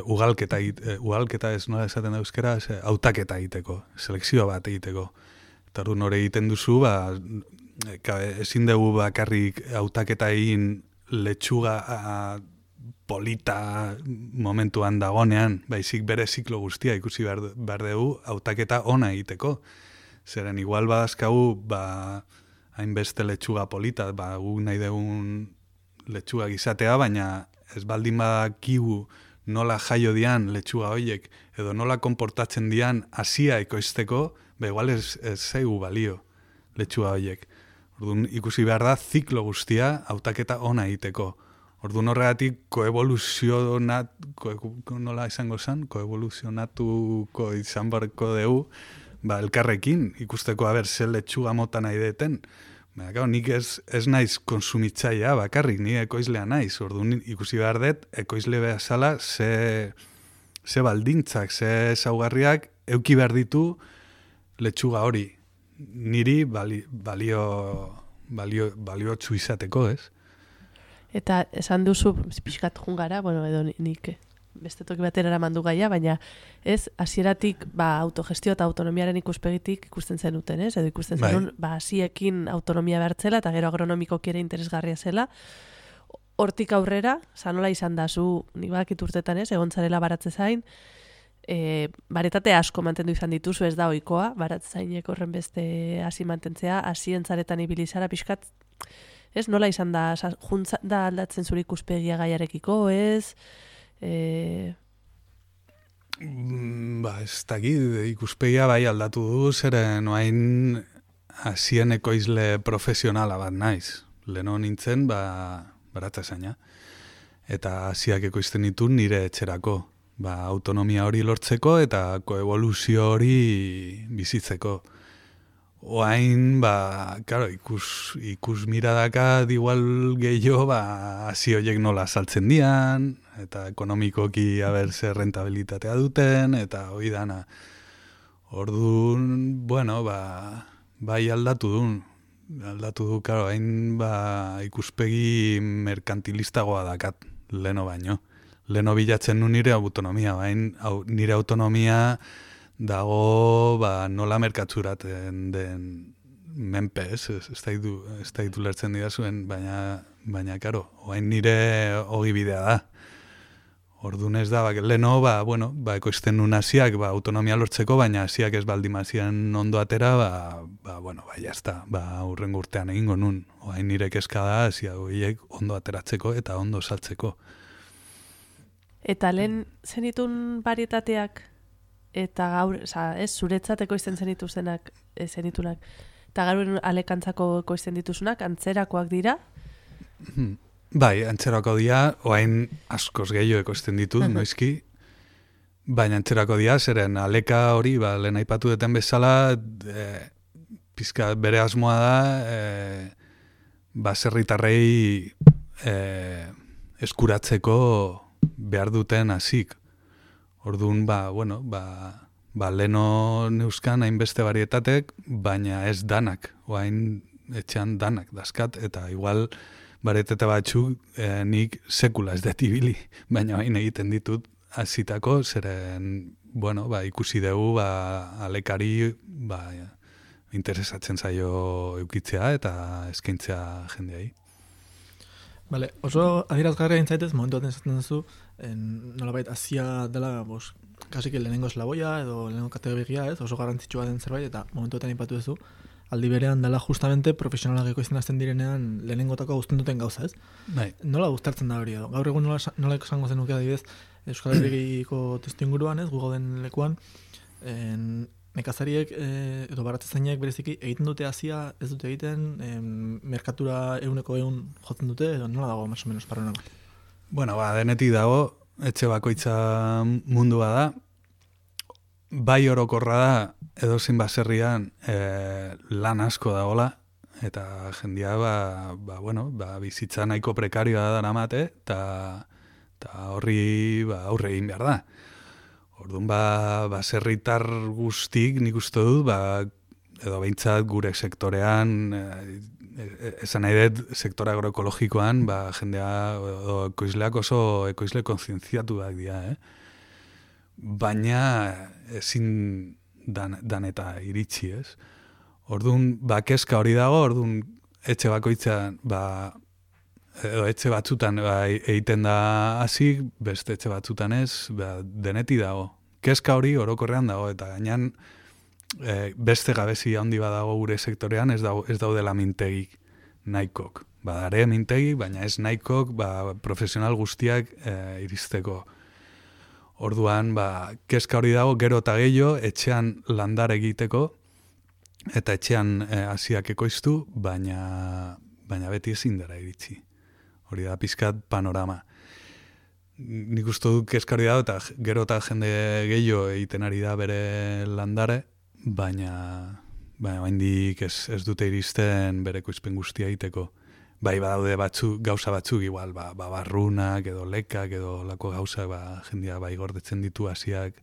D: ugalketa ez nola esaten da euskera, hautaketa egiteko, selekzio bat egiteko. Eta hori nore egiten duzu, ezin dugu bakarrik hautaketa egin letxuga polita momentuan dagonean, baizik bere ziklo guztia ikusi behar dugu hautaketa ona egiteko. Zeren igual badazkagu, hainbeste letxuga polita, gu nahi dugun letxuga izatea, baina ez baldin badakigu nola jaio dian letxuga horiek, edo nola konportatzen dian hasia ekoizteko, igual ez zaigu balio letxuga horiek. Orduan ikusi behar da ziklo guztia hautaketa ona egiteko. Orduan horregatik nola izango zen, koevoluzionatuko izan barko dugu, elkarrekin ikusteko ze letxuga mota nahi deten. Nik ez naiz konsumitzaia bakarrik, ni ekoizlea naiz. Orduan ikusi behar dut, ekoizle bezala ze baldintzak, ze ezaugarriak euki behar ditu letxuga hori. Niri baliotsu izateko, ez?
A: Eta esan duzu, pixkat jungara, edo nik beste toki batera eramandu gaia, baina ez, hasieratik autogestio eta autonomiaren ikuspegitik ikusten zenuten, ez? Edo ikusten zenun, hasiekin autonomia behartzela eta gero agronomikoki ere interesgarria zela. Hortik aurrera, nola izan da zu, nik badakit urtetan ez, egontzarela baratze zain, baretate asko mantendu izan dituzu, ez da ohikoa, baratze zainek horren beste hasi mantentzea, hasientzaretan ibilizara pixkat, Ez, nola izan da, juntza da aldatzen zure ikuspegia gaiarekiko, ez?
D: Ez dakit, ikuspegia bai aldatu du, zeren oain hasien ekoizle profesionala bat naiz. Leno nintzen, baratza zaina. Eta hasiak ekoizten ditu nire etxerako. Autonomia hori lortzeko eta koevoluzio hori bizitzeko. Oain, claro, ikus miradaka igual gehiago, hasi horiek nola saltzen dian, eta ekonomikoki zer rentabilitatea duten, eta hori dana. Orduan, bueno, bai aldatu du, claro, hain ikuspegi merkantilistagoa dakat, leno baino. Leno bilatzen nu nire autonomia, nire autonomia dago nola merkatzuraten den menpe, ez da ditu lertzen dira zuen, baina karo, oain nire hogi bidea da. Orduan ez da, leno, ekoizten nun hasiak autonomia lortzeko, baina hasiak ez baldimazian ondo atera, jazta, hurrengo urtean egingo nun. Oain nire kezka da hasiak horiek ondo ateratzeko eta ondo saltzeko.
A: Eta lehen zenitun varietateak, eta gaur, zuretzat ekoizten zenitunak, eta gaur alekantzako ekoizten dituzunak, antzerakoak dira?
D: Bai, antzerako dira, oain askoz gehiago ekoizten ditut, noizki, baina antzerako dira, zeren aleka hori, lehen aipatu duten bezala, pizka bere asmoa da, baserritarrei eskuratzeko behar duten hasik. Orduan, leno neuzkan hainbeste varietatek, baina ez danak, oain etxean danak dazkat, eta igual varietete batzuk nik sekula ez dut ibili, baina hain egiten ditut hasitako, zeren, ikusi dugu alekari interesatzen zaio eukitzea eta eskaintzea jendeai.
C: Vale, oso adierazgarria intzaitez, momentu baten esaten duzu, nolabait Asia dela, kasik lehenengo eslaboia edo lehenengo kategoria, ez, oso garrantzitsua den zerbait, eta momentu baten aipatu duzu, aldi berean dela justamente profesionalak ekoizten hasten direnean lehenengotako guztien duten gauza, ez?
D: Bai.
C: Nola guztartzen da hori edo? Gaur egun nola esango zenuke adibidez, Euskal Herriko testu inguruan, ez, gu gauden lekuan, nekazariek edo baratzaileek bereziki egiten dute Asia, ez dute egiten, merkatura 100% jotzen dute, edo nola dago más o menos paranoa?
D: Denetik dago, etxe bakoitza mundua da, bai orokorra da, edozein baserrian lan asko dagoela, eta jendia bizitza nahiko prekarioa da daramate, eta horri aurre egin behar da. Orduan, baserritar guztik nik uste dut, edo behintzat gure sektorean, esan nahi dut sektore agroekologikoan, jendea edo ekoizleak oso ekoizle kontzientziatuak dira, baina ezin dan eta iritsi, ez? Orduan, kezka hori dago, orduan, etxe bakoitzan, edo etxe batzutan egiten da hasik, beste etxe batzutan ez, deneti dago. Kezka hori orokorrean dago, eta gainean beste gabezia handi badago gure sektorean ez daudela mintegik nahikok. Badare mintegik, baina ez nahikok profesional guztiak iristeko. Orduan, kezka hori dago gero eta gehiago etxean landar egiteko, eta etxean hasiak ekoiztu, baina beti ezin dara iritsi. Hori da pizkat panorama. Nik uste dut kezka hori dago, eta gero eta jende gehiago egiten ari da bere landare, baina oraindik ez dute iristen bere ekoizpen guztia egiteko. Badaude gauza batzuk igual, barrunak edo lekak edo lako gauza, jendia gordetzen ditu hasiak,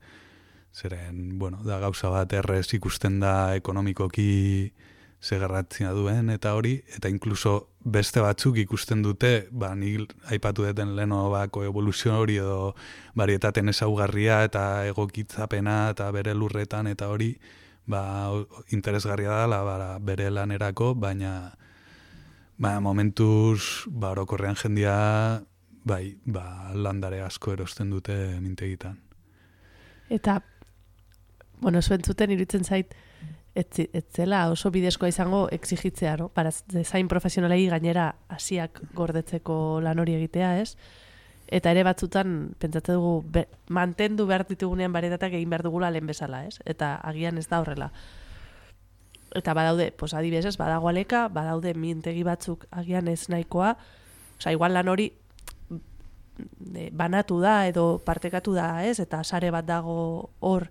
D: zeren, da gauza bat errez ikusten da ekonomikoki zegarratzina duen eta hori, eta inkluso beste batzuk ikusten dute, nik aipatu duten leno koevoluzio hori edo varietaten ezaugarria eta egokitzapena eta bere lurretan eta hori, interesgarria dela bere lanerako, baina momentuz orokorrean jendia landare asko erosten dute mintegitan.
A: Eta, zuentzuten iruditzen zait, ez zela oso bidezkoa izango exigitzea, no? Para design profesionalei gainera hasiak gordetzeko lan hori egitea, ez? Eta ere batzutan pentsatze dugu mantendu behar ditugunean varietateak egin behar dugula lehen bezala, ez? Eta agian ez da horrela. Eta badaude, pues adibidez, badago aleka, badaude mintegi batzuk agian ez nahikoa, osea, igual lan hori banatu da edo partekatu da, ez? Eta sare bat dago hor.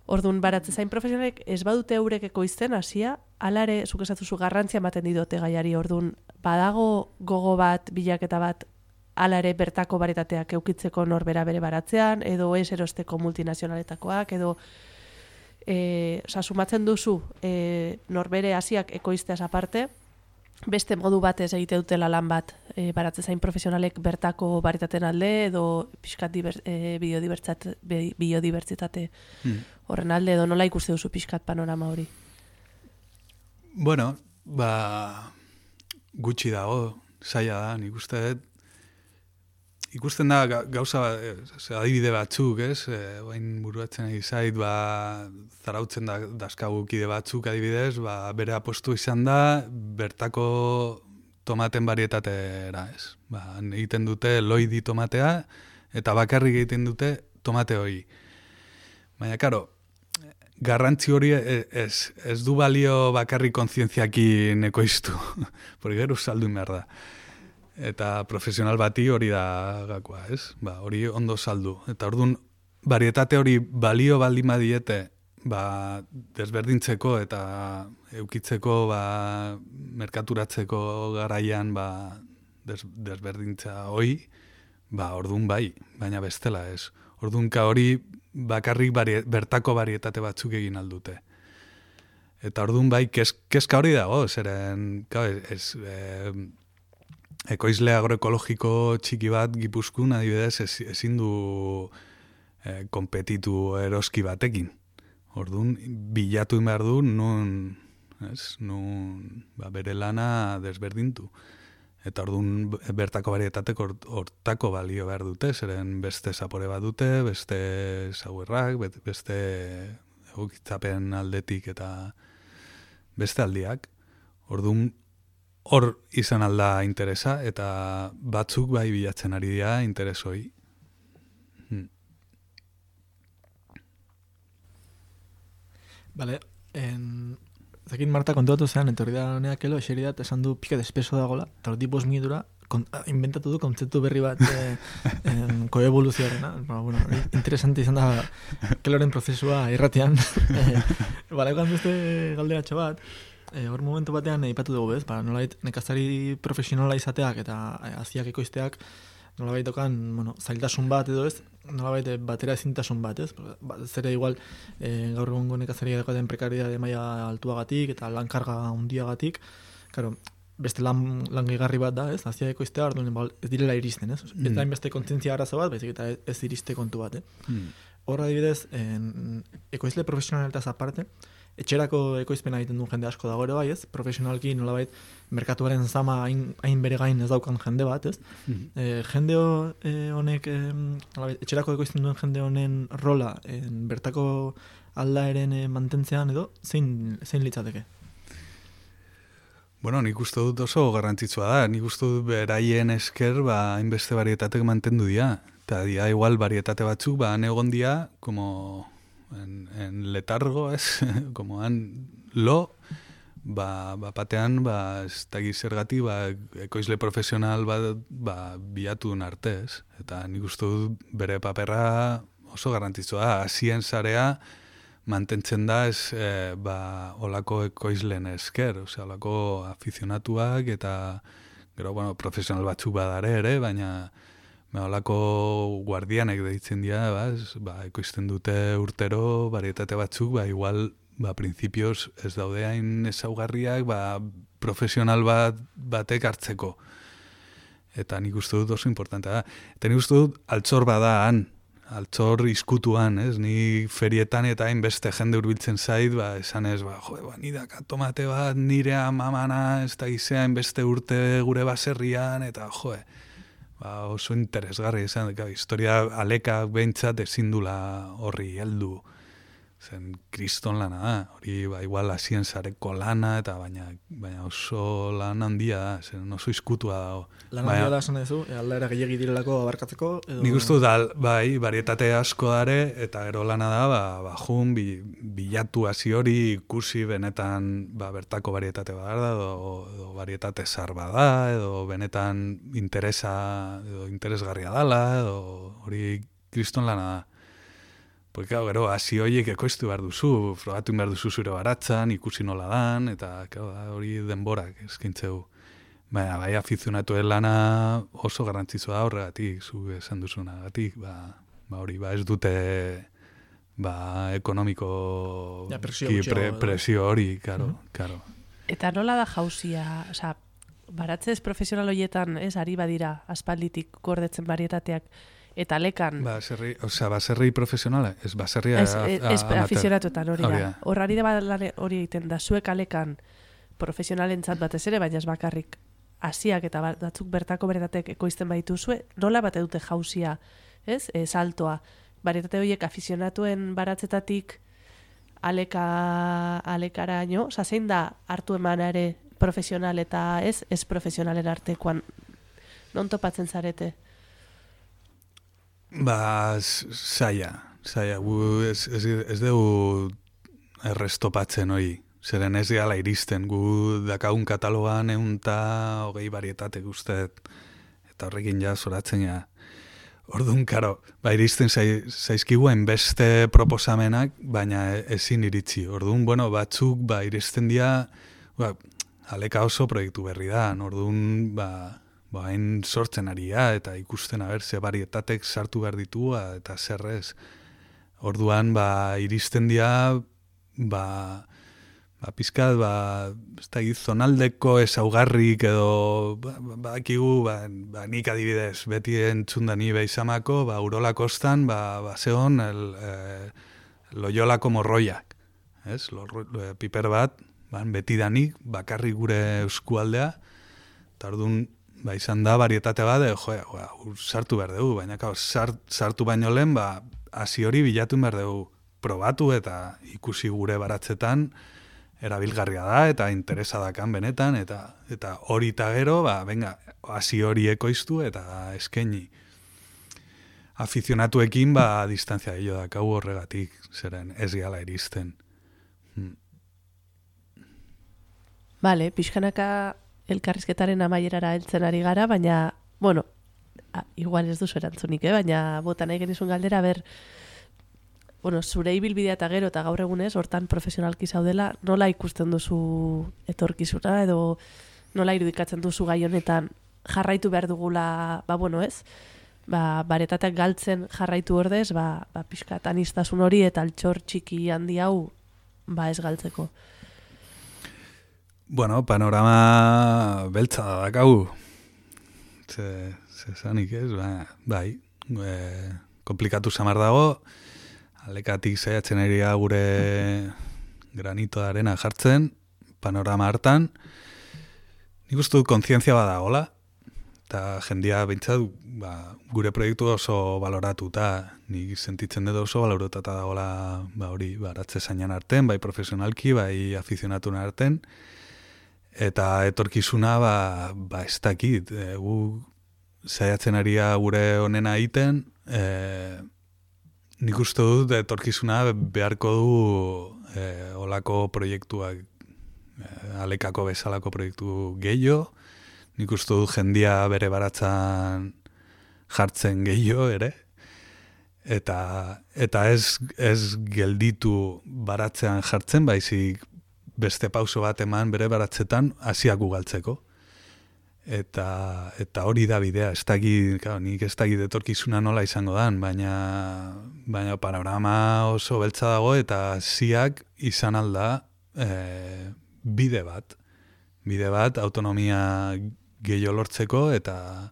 A: Orduan baratze zain profesionalek ez badute eurek ekoizten hasia, hala ere zuk esatuzu garrantzia ematen diote gaiari. Orduan badago gogo bat, bilaketa bat hala ere bertako varietateak eukitzeko norbera bere baratzean, edo ez erosteko multinazionaletakoak, edo sumatzen duzu norbere hasiak ekoizteaz aparte, beste modu batez egite dutela lan bat baratze zain profesionalek bertako varietateen alde, edo pixkat biodibertsitate horren alde, edo nola ikuste duzu pixkat panorama hori?
D: Bueno, gutxi dago, zaila da, nik uste dut, ikusten da gauza adibide batzuk, ez? Oain buruatzen egizait, zarautzen dazkagu kide batzuk adibidez, bere apostu izan da, bertako tomaten varietatera, ez? Egiten dute loidi tomatea, eta bakarrik egiten dute tomate hori. Baina, karo, garrantzi hori ez du balio bakarrik kontzientziakin ekoiztu, porque gero saldu behar da. Eta profesional bati hori da gakoa, ez? Hori ondo saldu. Eta orduan, varietate hori balio baldin badiete, desberdintzeko eta eukitzeko, merkaturatzeko garaian, desberdintza hori, orduan bai, baina bestela, ez? Orduan, hori bakarrik bertako varietate batzuk egin aldute. Eta orduan bai, kezka hori dago, zeren, ekoizle agroekologiko txiki bat Gipuzkoan adibidez ezin du konpetitu eroski batekin. Orduan, bilatu behar du nun bere lana desberdintu. Eta orduan bertako varietatek hortako balio behar dute, zeren beste zapore bat dute, beste sauerrak, beste egokitzapen aldetik eta beste aldiak. Orduan, hor izan alda interesa, eta batzuk bai bilatzen ari dira interesoi.
C: Bale, zakin Marta kontuatu zean, etorri da honeak elo, eseri dat, esan du pika despeso dagoela, eta hori 5 minutura, inventatu du kontzeptu berri bat koevoluzioarena. Bueno, interesante izan da keloren prozesua irratian. Bale, egan beste galderatxo bat, hor momentu batean ipatu dugu bez, nolabait nekazari profesionala izateak eta haziak ekoizteak nolabait dokan, zailtasun bat edo ez, nolabait batera ezintasun bat, ez? Zere igual gaur egungo nekazari dagoen prekaridade maila altuagatik eta lankarga handiagatik, claro, beste lan gehigarri bat da, ez? Haziak ekoiztea, orduan ez direla iristen, ez? Ez da beste kontzientzia arazo bat, baizik eta ez iriste kontu bat, Horra adibidez, ekoizle profesionaletaz aparte, etxerako ekoizpena egiten duen jende asko dago ere bai, ez? Profesionalki nolabait merkatuaren zama hain bere gain ez daukan jende bat, ez? Jende honek, etxerako ekoizten duen jende honen rola bertako aldaeren mantentzean edo, zein litzateke?
D: Bueno, nik uste dut oso garrantzitsua da. Nik uste dut beraien esker hainbeste varietatek mantendu dira. Eta dia igual varietate batzuk egon dira como en letargo, ez? Como han lo, batean, ez dakiz zergatik, ekoizle profesional bilatu duen arte, ez? Eta nik uste dut bere paperra oso garrantzitsua. Hasien zarea mantentzen da ez olako ekoizlen esker, olako afizionatuak eta gero, profesional batzuk badare ere, baina olako guardianek deitzen dira, ekoizten dute urtero varietate batzuk, igual, principios ez daude hain ezaugarriak, profesional batek hartzeko. Eta nik uste dut oso importantea da. Eta nik uste dut altzor bada han, altzor izkutuan, ez? Ni ferietan eta hainbeste jende hurbiltzen zait, esan ez, nidaka tomate bat nire amamana, ez da gizea hainbeste urte gure baserrian, eta oso interesgarri izan, historia alekak behintzat ezin dula horri heldu. zen kriston lana da, hori ba, igual hasien sareko lana, eta baina oso lan handia da, zen oso izkutua dago.
C: Lan handia da esan duzu, aldaera gehiagi direlako abarkatzeko? Edo...
D: Nik uste dut, bai, varietate asko dare, eta gero lana da, jun, bilatu hasi hori ikusi benetan bertako varietate bada, edo varietate zar bada, edo benetan interesgarria dala, edo hori kriston lana da. Porque gero, hasi horiek ekoiztu behar duzu, frogatu behar duzu zure baratzan, ikusi nola dan, eta hori denborak eskintzeu. Baina, bai afizionatuen lana oso garrantzitsua da horregatik, zu esan duzunagatik, hori, ez dute ekonomiko presio hori, karo.
A: Eta nola da jauzia, baratzez profesional horietan, ari badira, aspalditik gordetzen varietateak, eta lekan...
D: Baserri profesionala, ez baserria
A: afizionatuetan hori da. Horrari da hori egiten da, zuek alekan profesionalentzat batez ere, baina ez bakarrik hasiak eta batzuk bertako varietate ekoizten baituzue, nola bate dute jauzia, ez? Saltoa. Varietate horiek afizionatuen baratzetatik alekaraino, zein da hartu emanare profesional eta ez profesionalen artekoan, non topatzen zarete?
D: Zaila, ez dugu errestopatzen hori, zeren ez gala iristen, gu dakagun katalogan 120 varietate guztet, eta horrekin ja zoratzen ja. Orduan, karo, iristen zaizkigu hainbeste proposamenak, baina ezin iritsi. Orduan, batzuk iristen dira, aleka oso proiektu berri da, orduan, hain sortzen ari eta ikusten ze varietatek sartu behar ditu eta zerrez. Orduan, iristen dira, pizkat, zonaldeko ezaugarrik edo, bakigu, nik adibidez, beti entzundan ni beizamako, Urola kostan, zeon Loiolako morroiak, ez? Piper bat, beti danik, bakarrik gure eskualdea, eta orduan, izan da, varietate bat, sartu behar dugu, baina sartu baino lehen, hasi hori bilatu behar dugu, probatu eta ikusi gure baratzetan, erabilgarria da, eta interesa dakan benetan, eta hori eta gero, hasi hori ekoiztu eta eskaini. Afizionatuekin, distantzia hilo dakau horregatik, zeren ez gala iristen.
A: Bale, pixkanaka elkarrizketaren amaierara heltzen ari gara, baina, igual ez duzu erantzunik, baina bota nahi genizun galdera, zure ibilbidea eta gero eta gaur egunez, hortan profesionalki zaudela, nola ikusten duzu etorkizuna, edo nola irudikatzen duzu gai honetan jarraitu behar dugula, ez? Baretateak galtzen jarraitu ordez, pixkat aniztasun hori eta altxor txiki handi hau, ez galtzeko.
D: Panorama beltza da dakau. Zezanik ez, komplikatu samar dago, alekatik saiatzen ari gure granito de arena jartzen, panorama hartan, nik uste dut kontzientzia badagola, eta jendia bintzat gure proiektu oso baloratuta, nik sentitzen dut oso baloratuta dagola hori baratze zainan arten, bai profesionalki, bai afizionatuna arten, eta etorkizuna ez dakit, gu saiatzen ari gure honena egiten, nik uste dut etorkizuna beharko du olako proiektuak, alekako bezalako proiektu gehiago, nik uste dut jendia bere baratzan jartzen gehiago ere, eta ez gelditu baratzean jartzen, baizik beste pauso bat eman bere baratzetan hasiak ugaltzeko. Eta hori da bidea, nik ez dakit etorkizuna nola izango dan, baina panorama oso beltza dago eta hasiak izan alda bide bat autonomia gehiago lortzeko eta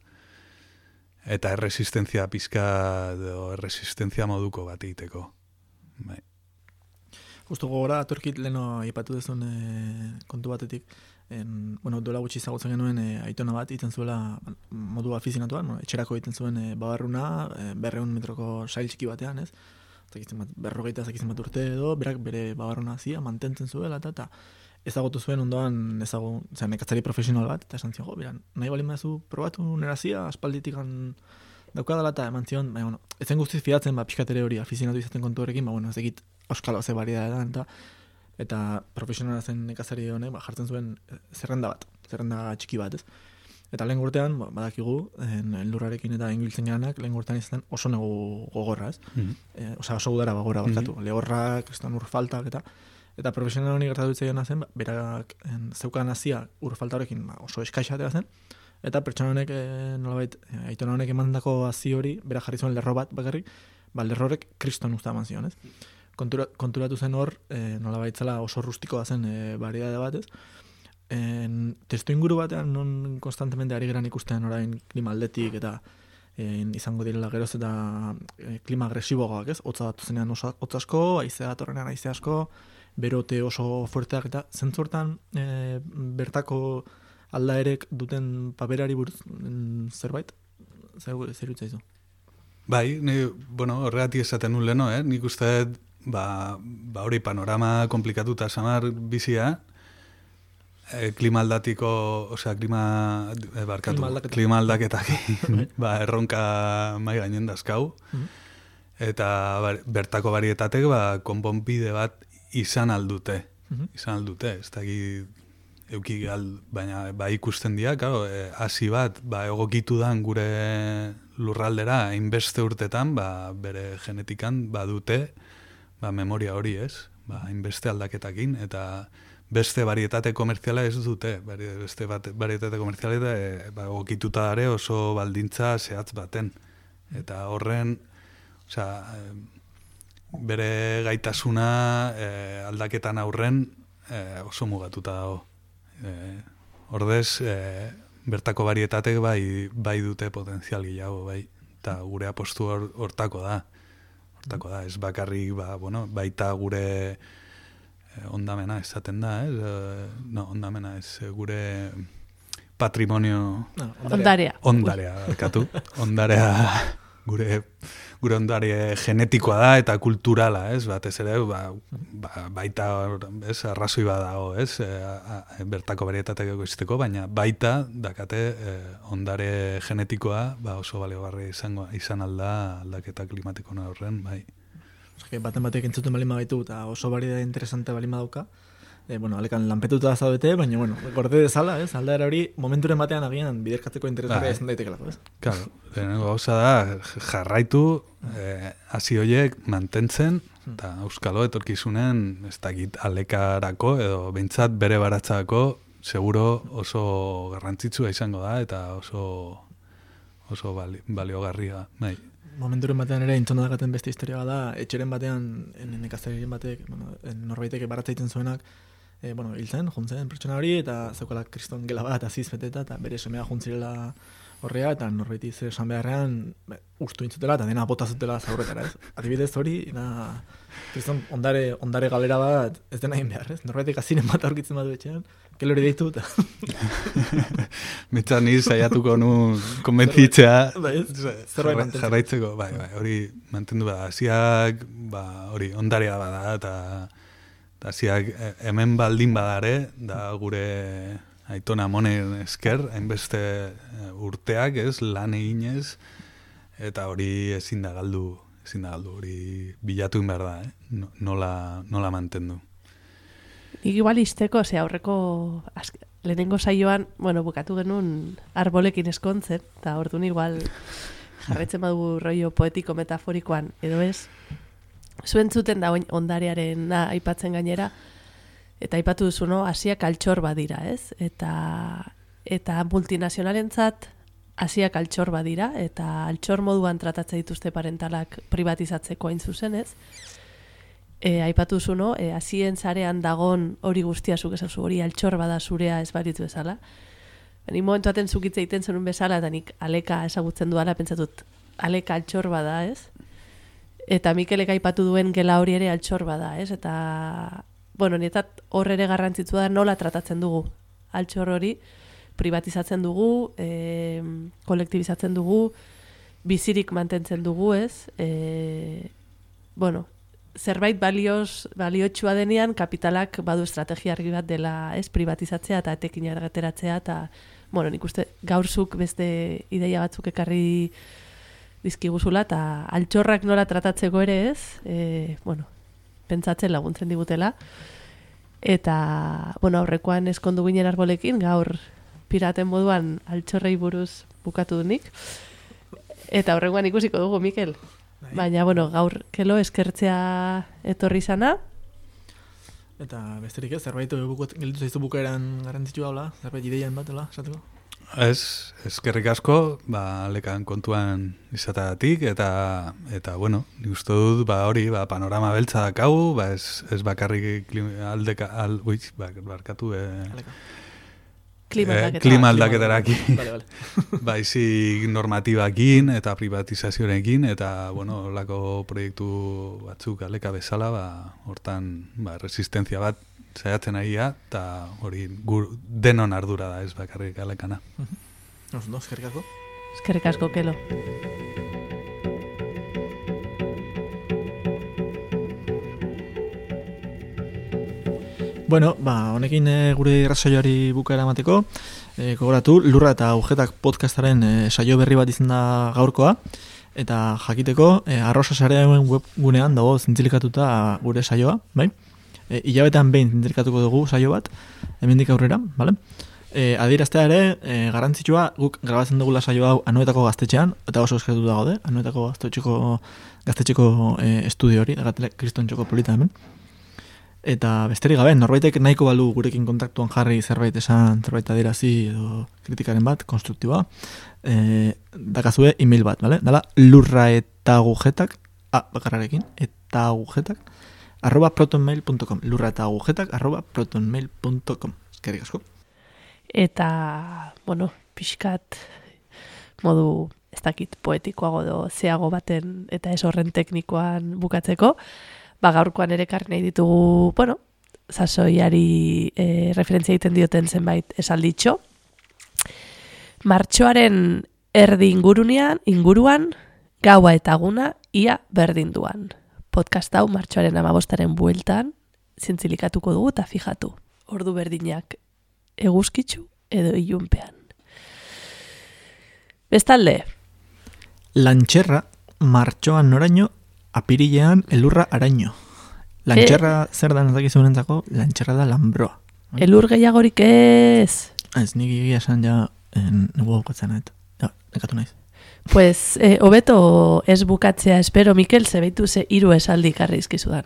D: erresistentzia pizka edo erresistentzia moduko bat egiteko.
C: Justo gogora, atorkit leheno aipatu dezun kontu batetik, duela gutxi zagutzen genuen aitona bat egiten zuela modu afizionatuan, etxerako egiten zuen babarruna, 200 metroko sail txiki batean, ez? berrogeita bat urte edo, berak bere babarrona hazia, mantentzen zuela, eta ezagutu zuen ondoan nekazari profesional bat, eta esan zion, nahi balin bazu probatu nerazia, aspalditikan daukadala, eta eman zion, baina, ezen guztiz fidatzen, pixkatere hori afizionatu izaten kontu horrekin, ez egit euskalo ze variedad da, eta profesionala zen nekazari honek, jartzen zuen zerrenda txiki bat, ez? Eta lehen urtean, badakigu, lurrarekin eta ingiltzen garanak, lehen urtean izan oso negu gogorra, ez? Oso udara bagora barkatu, lehorrak, ur faltak, eta profesional honi gertatu ditzaiona zen, berak zeukan hazia ur falta horrekin oso eskaixa zen, eta pertsona honek, nolabait, aitona honek emandako hazi hori, bera jarri zuen lerro bat bakarrik, lerro horrek kriston usta eman zion, ez? Konturatu zen hor, nolabait zela oso rustikoa zen variedade bat, ez? Testu inguru batean non konstantemente ari geran ikusten orain klima aldetik eta izango direla geroz eta klima agresiboagoak, ez? Hotza datu zenean oso hotz asko, haizea datorrenean haize asko, berote oso fuerteak eta zentzortan bertako aldaerek duten paperari buruz zerbait? Zer utzaizu?
D: Bai, horregatik esaten nuen leno, nik uste hori panorama komplikatuta samar bizia, klima aldaketak erronka mai gainen dazkau, eta bertako barrietatek konponbide bat izan aldute, ez dakit euki baina ikusten dira, hasi bat egokitu dan gure lurraldera hainbeste urtetan, bere genetikan dute memoria hori, ez? Hainbeste aldaketakin, eta beste varietate komertziala ez dute, beste varietate komertziala egokituta dare oso baldintza zehatz baten. Eta horren, bere gaitasuna aldaketan aurren oso mugatuta dago. Ordez, bertako varietatek bai dute potenzial gehiago, bai. Eta gure apostu hortako da. Ez bakarrik, baita gure ondamena esaten da, ondamena ez, gure patrimonio... Ondarea, barkatu. Gure ondare genetikoa da eta kulturala, ez? Batez ere, baita, ez, arrazoi badago, ez? Bertako varietateak egoziteko, baina baita, dakate, ondare genetikoa oso baliogarri izan alda aldaketa klimatiko horren, bai.
C: Baten batek entzuten balin bagaitu eta oso variedade interesante balin badauka, alekan lanpetuta zaudete, baina, gorde dezala, ez? Aldaera hori, momenturen batean agian biderkatzeko interesgarria izan daitekelako, ez?
D: Claro, gauza da, jarraitu, hasi horiek mantentzen, eta euskalo etorkizunen, ez dakit alekarako, edo behintzat bere baratzako, seguro oso garrantzitsua izango da, eta oso baliogarria, bai.
C: Momenturen batean ere intzona dakaten beste historia da, etxeren batean, nekazarien batek, norbaitek baratzaiten zuenak, hil zen, juntzen pertsona hori, eta zeukala kriston gela bat aziz beteta, eta bere semea juntzirela horrea, eta norbaiti zer esan beharrean, ustu intzutela, eta dena bota zutela zaurretara, ez? Adibidez hori, kriston ondare galera bat ez dena egin behar, ez? Norbaitek aziren bat aurkitzen badu etxean, kelori deitu, eta...
D: Mitzan niz saiatuko nun konbentzitzea jarraitzeko, hori mantendu bada, hasiak, hori ondarea bada, eta hasiak hemen baldin badare, da gure aitona monen esker, hainbeste urteak, ez, lan eginez, eta hori ezin da galdu, hori bilatu in behar da, nola mantendu.
A: Nik igual izteko, aurreko lehenengo saioan, bukatu genuen arbolekin eskontzen, eta orduan igual jarretzen badu rollo poetiko metaforikoan, edo ez, zuen zuten da ondarearen aipatzen gainera, eta aipatu duzu, hasiak altxor badira, ez? Eta multinazionalentzat hasiak altxor badira, eta altxor moduan tratatzen dituzte parentalak privatizatzeko hain zuzen, ez? Aipatu zu, hasien zarean dagon hori guztia zuk esazu, hori altxor bada zurea ez baritu bezala. Ni momentu baten zukitze egiten zenun bezala, eta nik aleka ezagutzen duala, pentsatut, aleka altxor bada, ez? Eta Mikelek aipatu duen gela hori ere altxor bada, ez? Eta, nietat hor ere garrantzitsu da nola tratatzen dugu altxor hori, privatizatzen dugu, kolektibizatzen dugu, bizirik mantentzen dugu, ez? bueno, zerbait baliotsua denean kapitalak badu estrategia argi bat dela, ez, privatizatzea eta etekin argateratzea, eta, bueno, nik uste gaurzuk beste ideia batzuk ekarri dizkiguzula, eta altxorrak nola tratatzeko ere ez, bueno, pentsatzen laguntzen digutela, eta, bueno, aurrekoan eskondu ginen arbolekin, gaur piraten moduan altxorrei buruz bukatu dunik, eta aurrekoan ikusiko dugu, Mikel. Baina, bueno, gaur kelo eskertzea etorri zana.
C: Eta besterik ez, zerbait gelditu zaizu bukaeran garrantzitsua hola, zerbait ideian bat, hola, esateko?
D: Ez, eskerrik asko, lekan kontuan izatagatik, eta bueno, nik uste dut, hori, panorama beltza dakau, ez bakarrik barkatu, klima aldaketarakin, baizik normatibakin eta privatizazioarekin, eta, bueno, lako proiektu batzuk aleka bezala, hortan, resistenzia bat saiatzen ahia, eta hori denon ardura da, ez bakarrik alekana.
C: Eskerrik asko.
A: Eskerrik asko, Kelo.
C: Bueno, honekin gure irratsaioari bukaera emateko, gogoratu, Lurra eta Agujetak podcastaren saio berri bat izan da gaurkoa, eta jakiteko, Arrosa sarearen webgunean dago zintzilikatuta gure saioa, bai? Hilabetean behin zintzilikatuko dugu saio bat, hemendik aurrera, bale? Adieraztea ere, garrantzitsua, guk grabatzen dugula saio hau Anoetako gaztetxean, eta oso eskertuta gaude, Anoetako gaztetxeko estudio hori, Kriston txoko polita hemen. Eta besterik gabe, norbaitek nahiko balu gurekin kontaktuan jarri zerbait esan, zerbait adierazi edo kritikaren bat, konstruktiboa, dakazue email bat, bale? Dala, lurraetagujetak, bakarrarekin, eta agujetak, @protonmail.com, lurraetagujetak, @protonmail.com. Eskerrik asko.
A: Eta, bueno, pixkat modu, ez dakit, poetikoago do, zeago baten eta ez horren teknikoan bukatzeko, gaurkoan ere karri nahi ditugu, bueno, sasoiari referentzia egiten dioten zenbait esalditxo. Martxoaren erdi inguruan, gaua eta guna ia berdinduan. Podcast hau martxoaren 15 bueltan zintzilikatuko dugu eta fijatu. Ordu berdinak eguzkitzu edo ilunpean. Bestalde.
C: Lantxerra, martxoan noraino, apirilean elurra araño. Lantxerra zer da nazakizunentzako, lantxerra da lambroa.
A: Elur gehiagorik ez.
C: Ez, nik egia esan ja nugu bukatzen, nekatu naiz.
A: Pues, hobeto ez bukatzea espero, Mikel, zebeitu ze 3 esaldi karri izkizudan.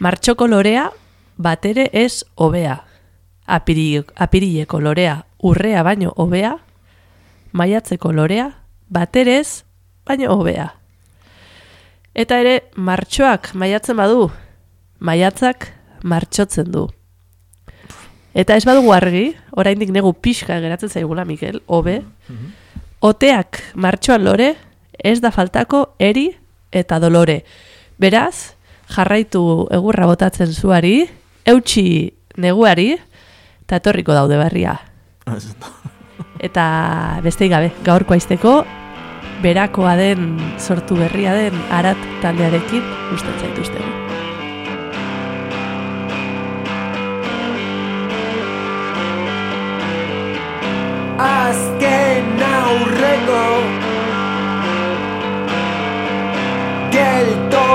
A: Martxoko lorea, batere ez hobea. Apirileko lorea, urrea baino hobea. Maiatzeko lorea, batere ez baino hobea. Eta ere, martxoak maiatzen badu, maiatzak martxotzen du. Eta ez badugu argi, oraindik negu pixka geratzen zaigula, Mikel, hobe, oteak martxoan lore, ez da faltako eri eta dolore. Beraz, jarraitu egurra botatzen zuari, eutxi neguari, eta etorriko daude berria. Eta besteik gabe, gaurko aizteko, berakoa den, sortu berria den, Arat taldearekin gustatzen zaituztegu.
E: Azken aurreko gelto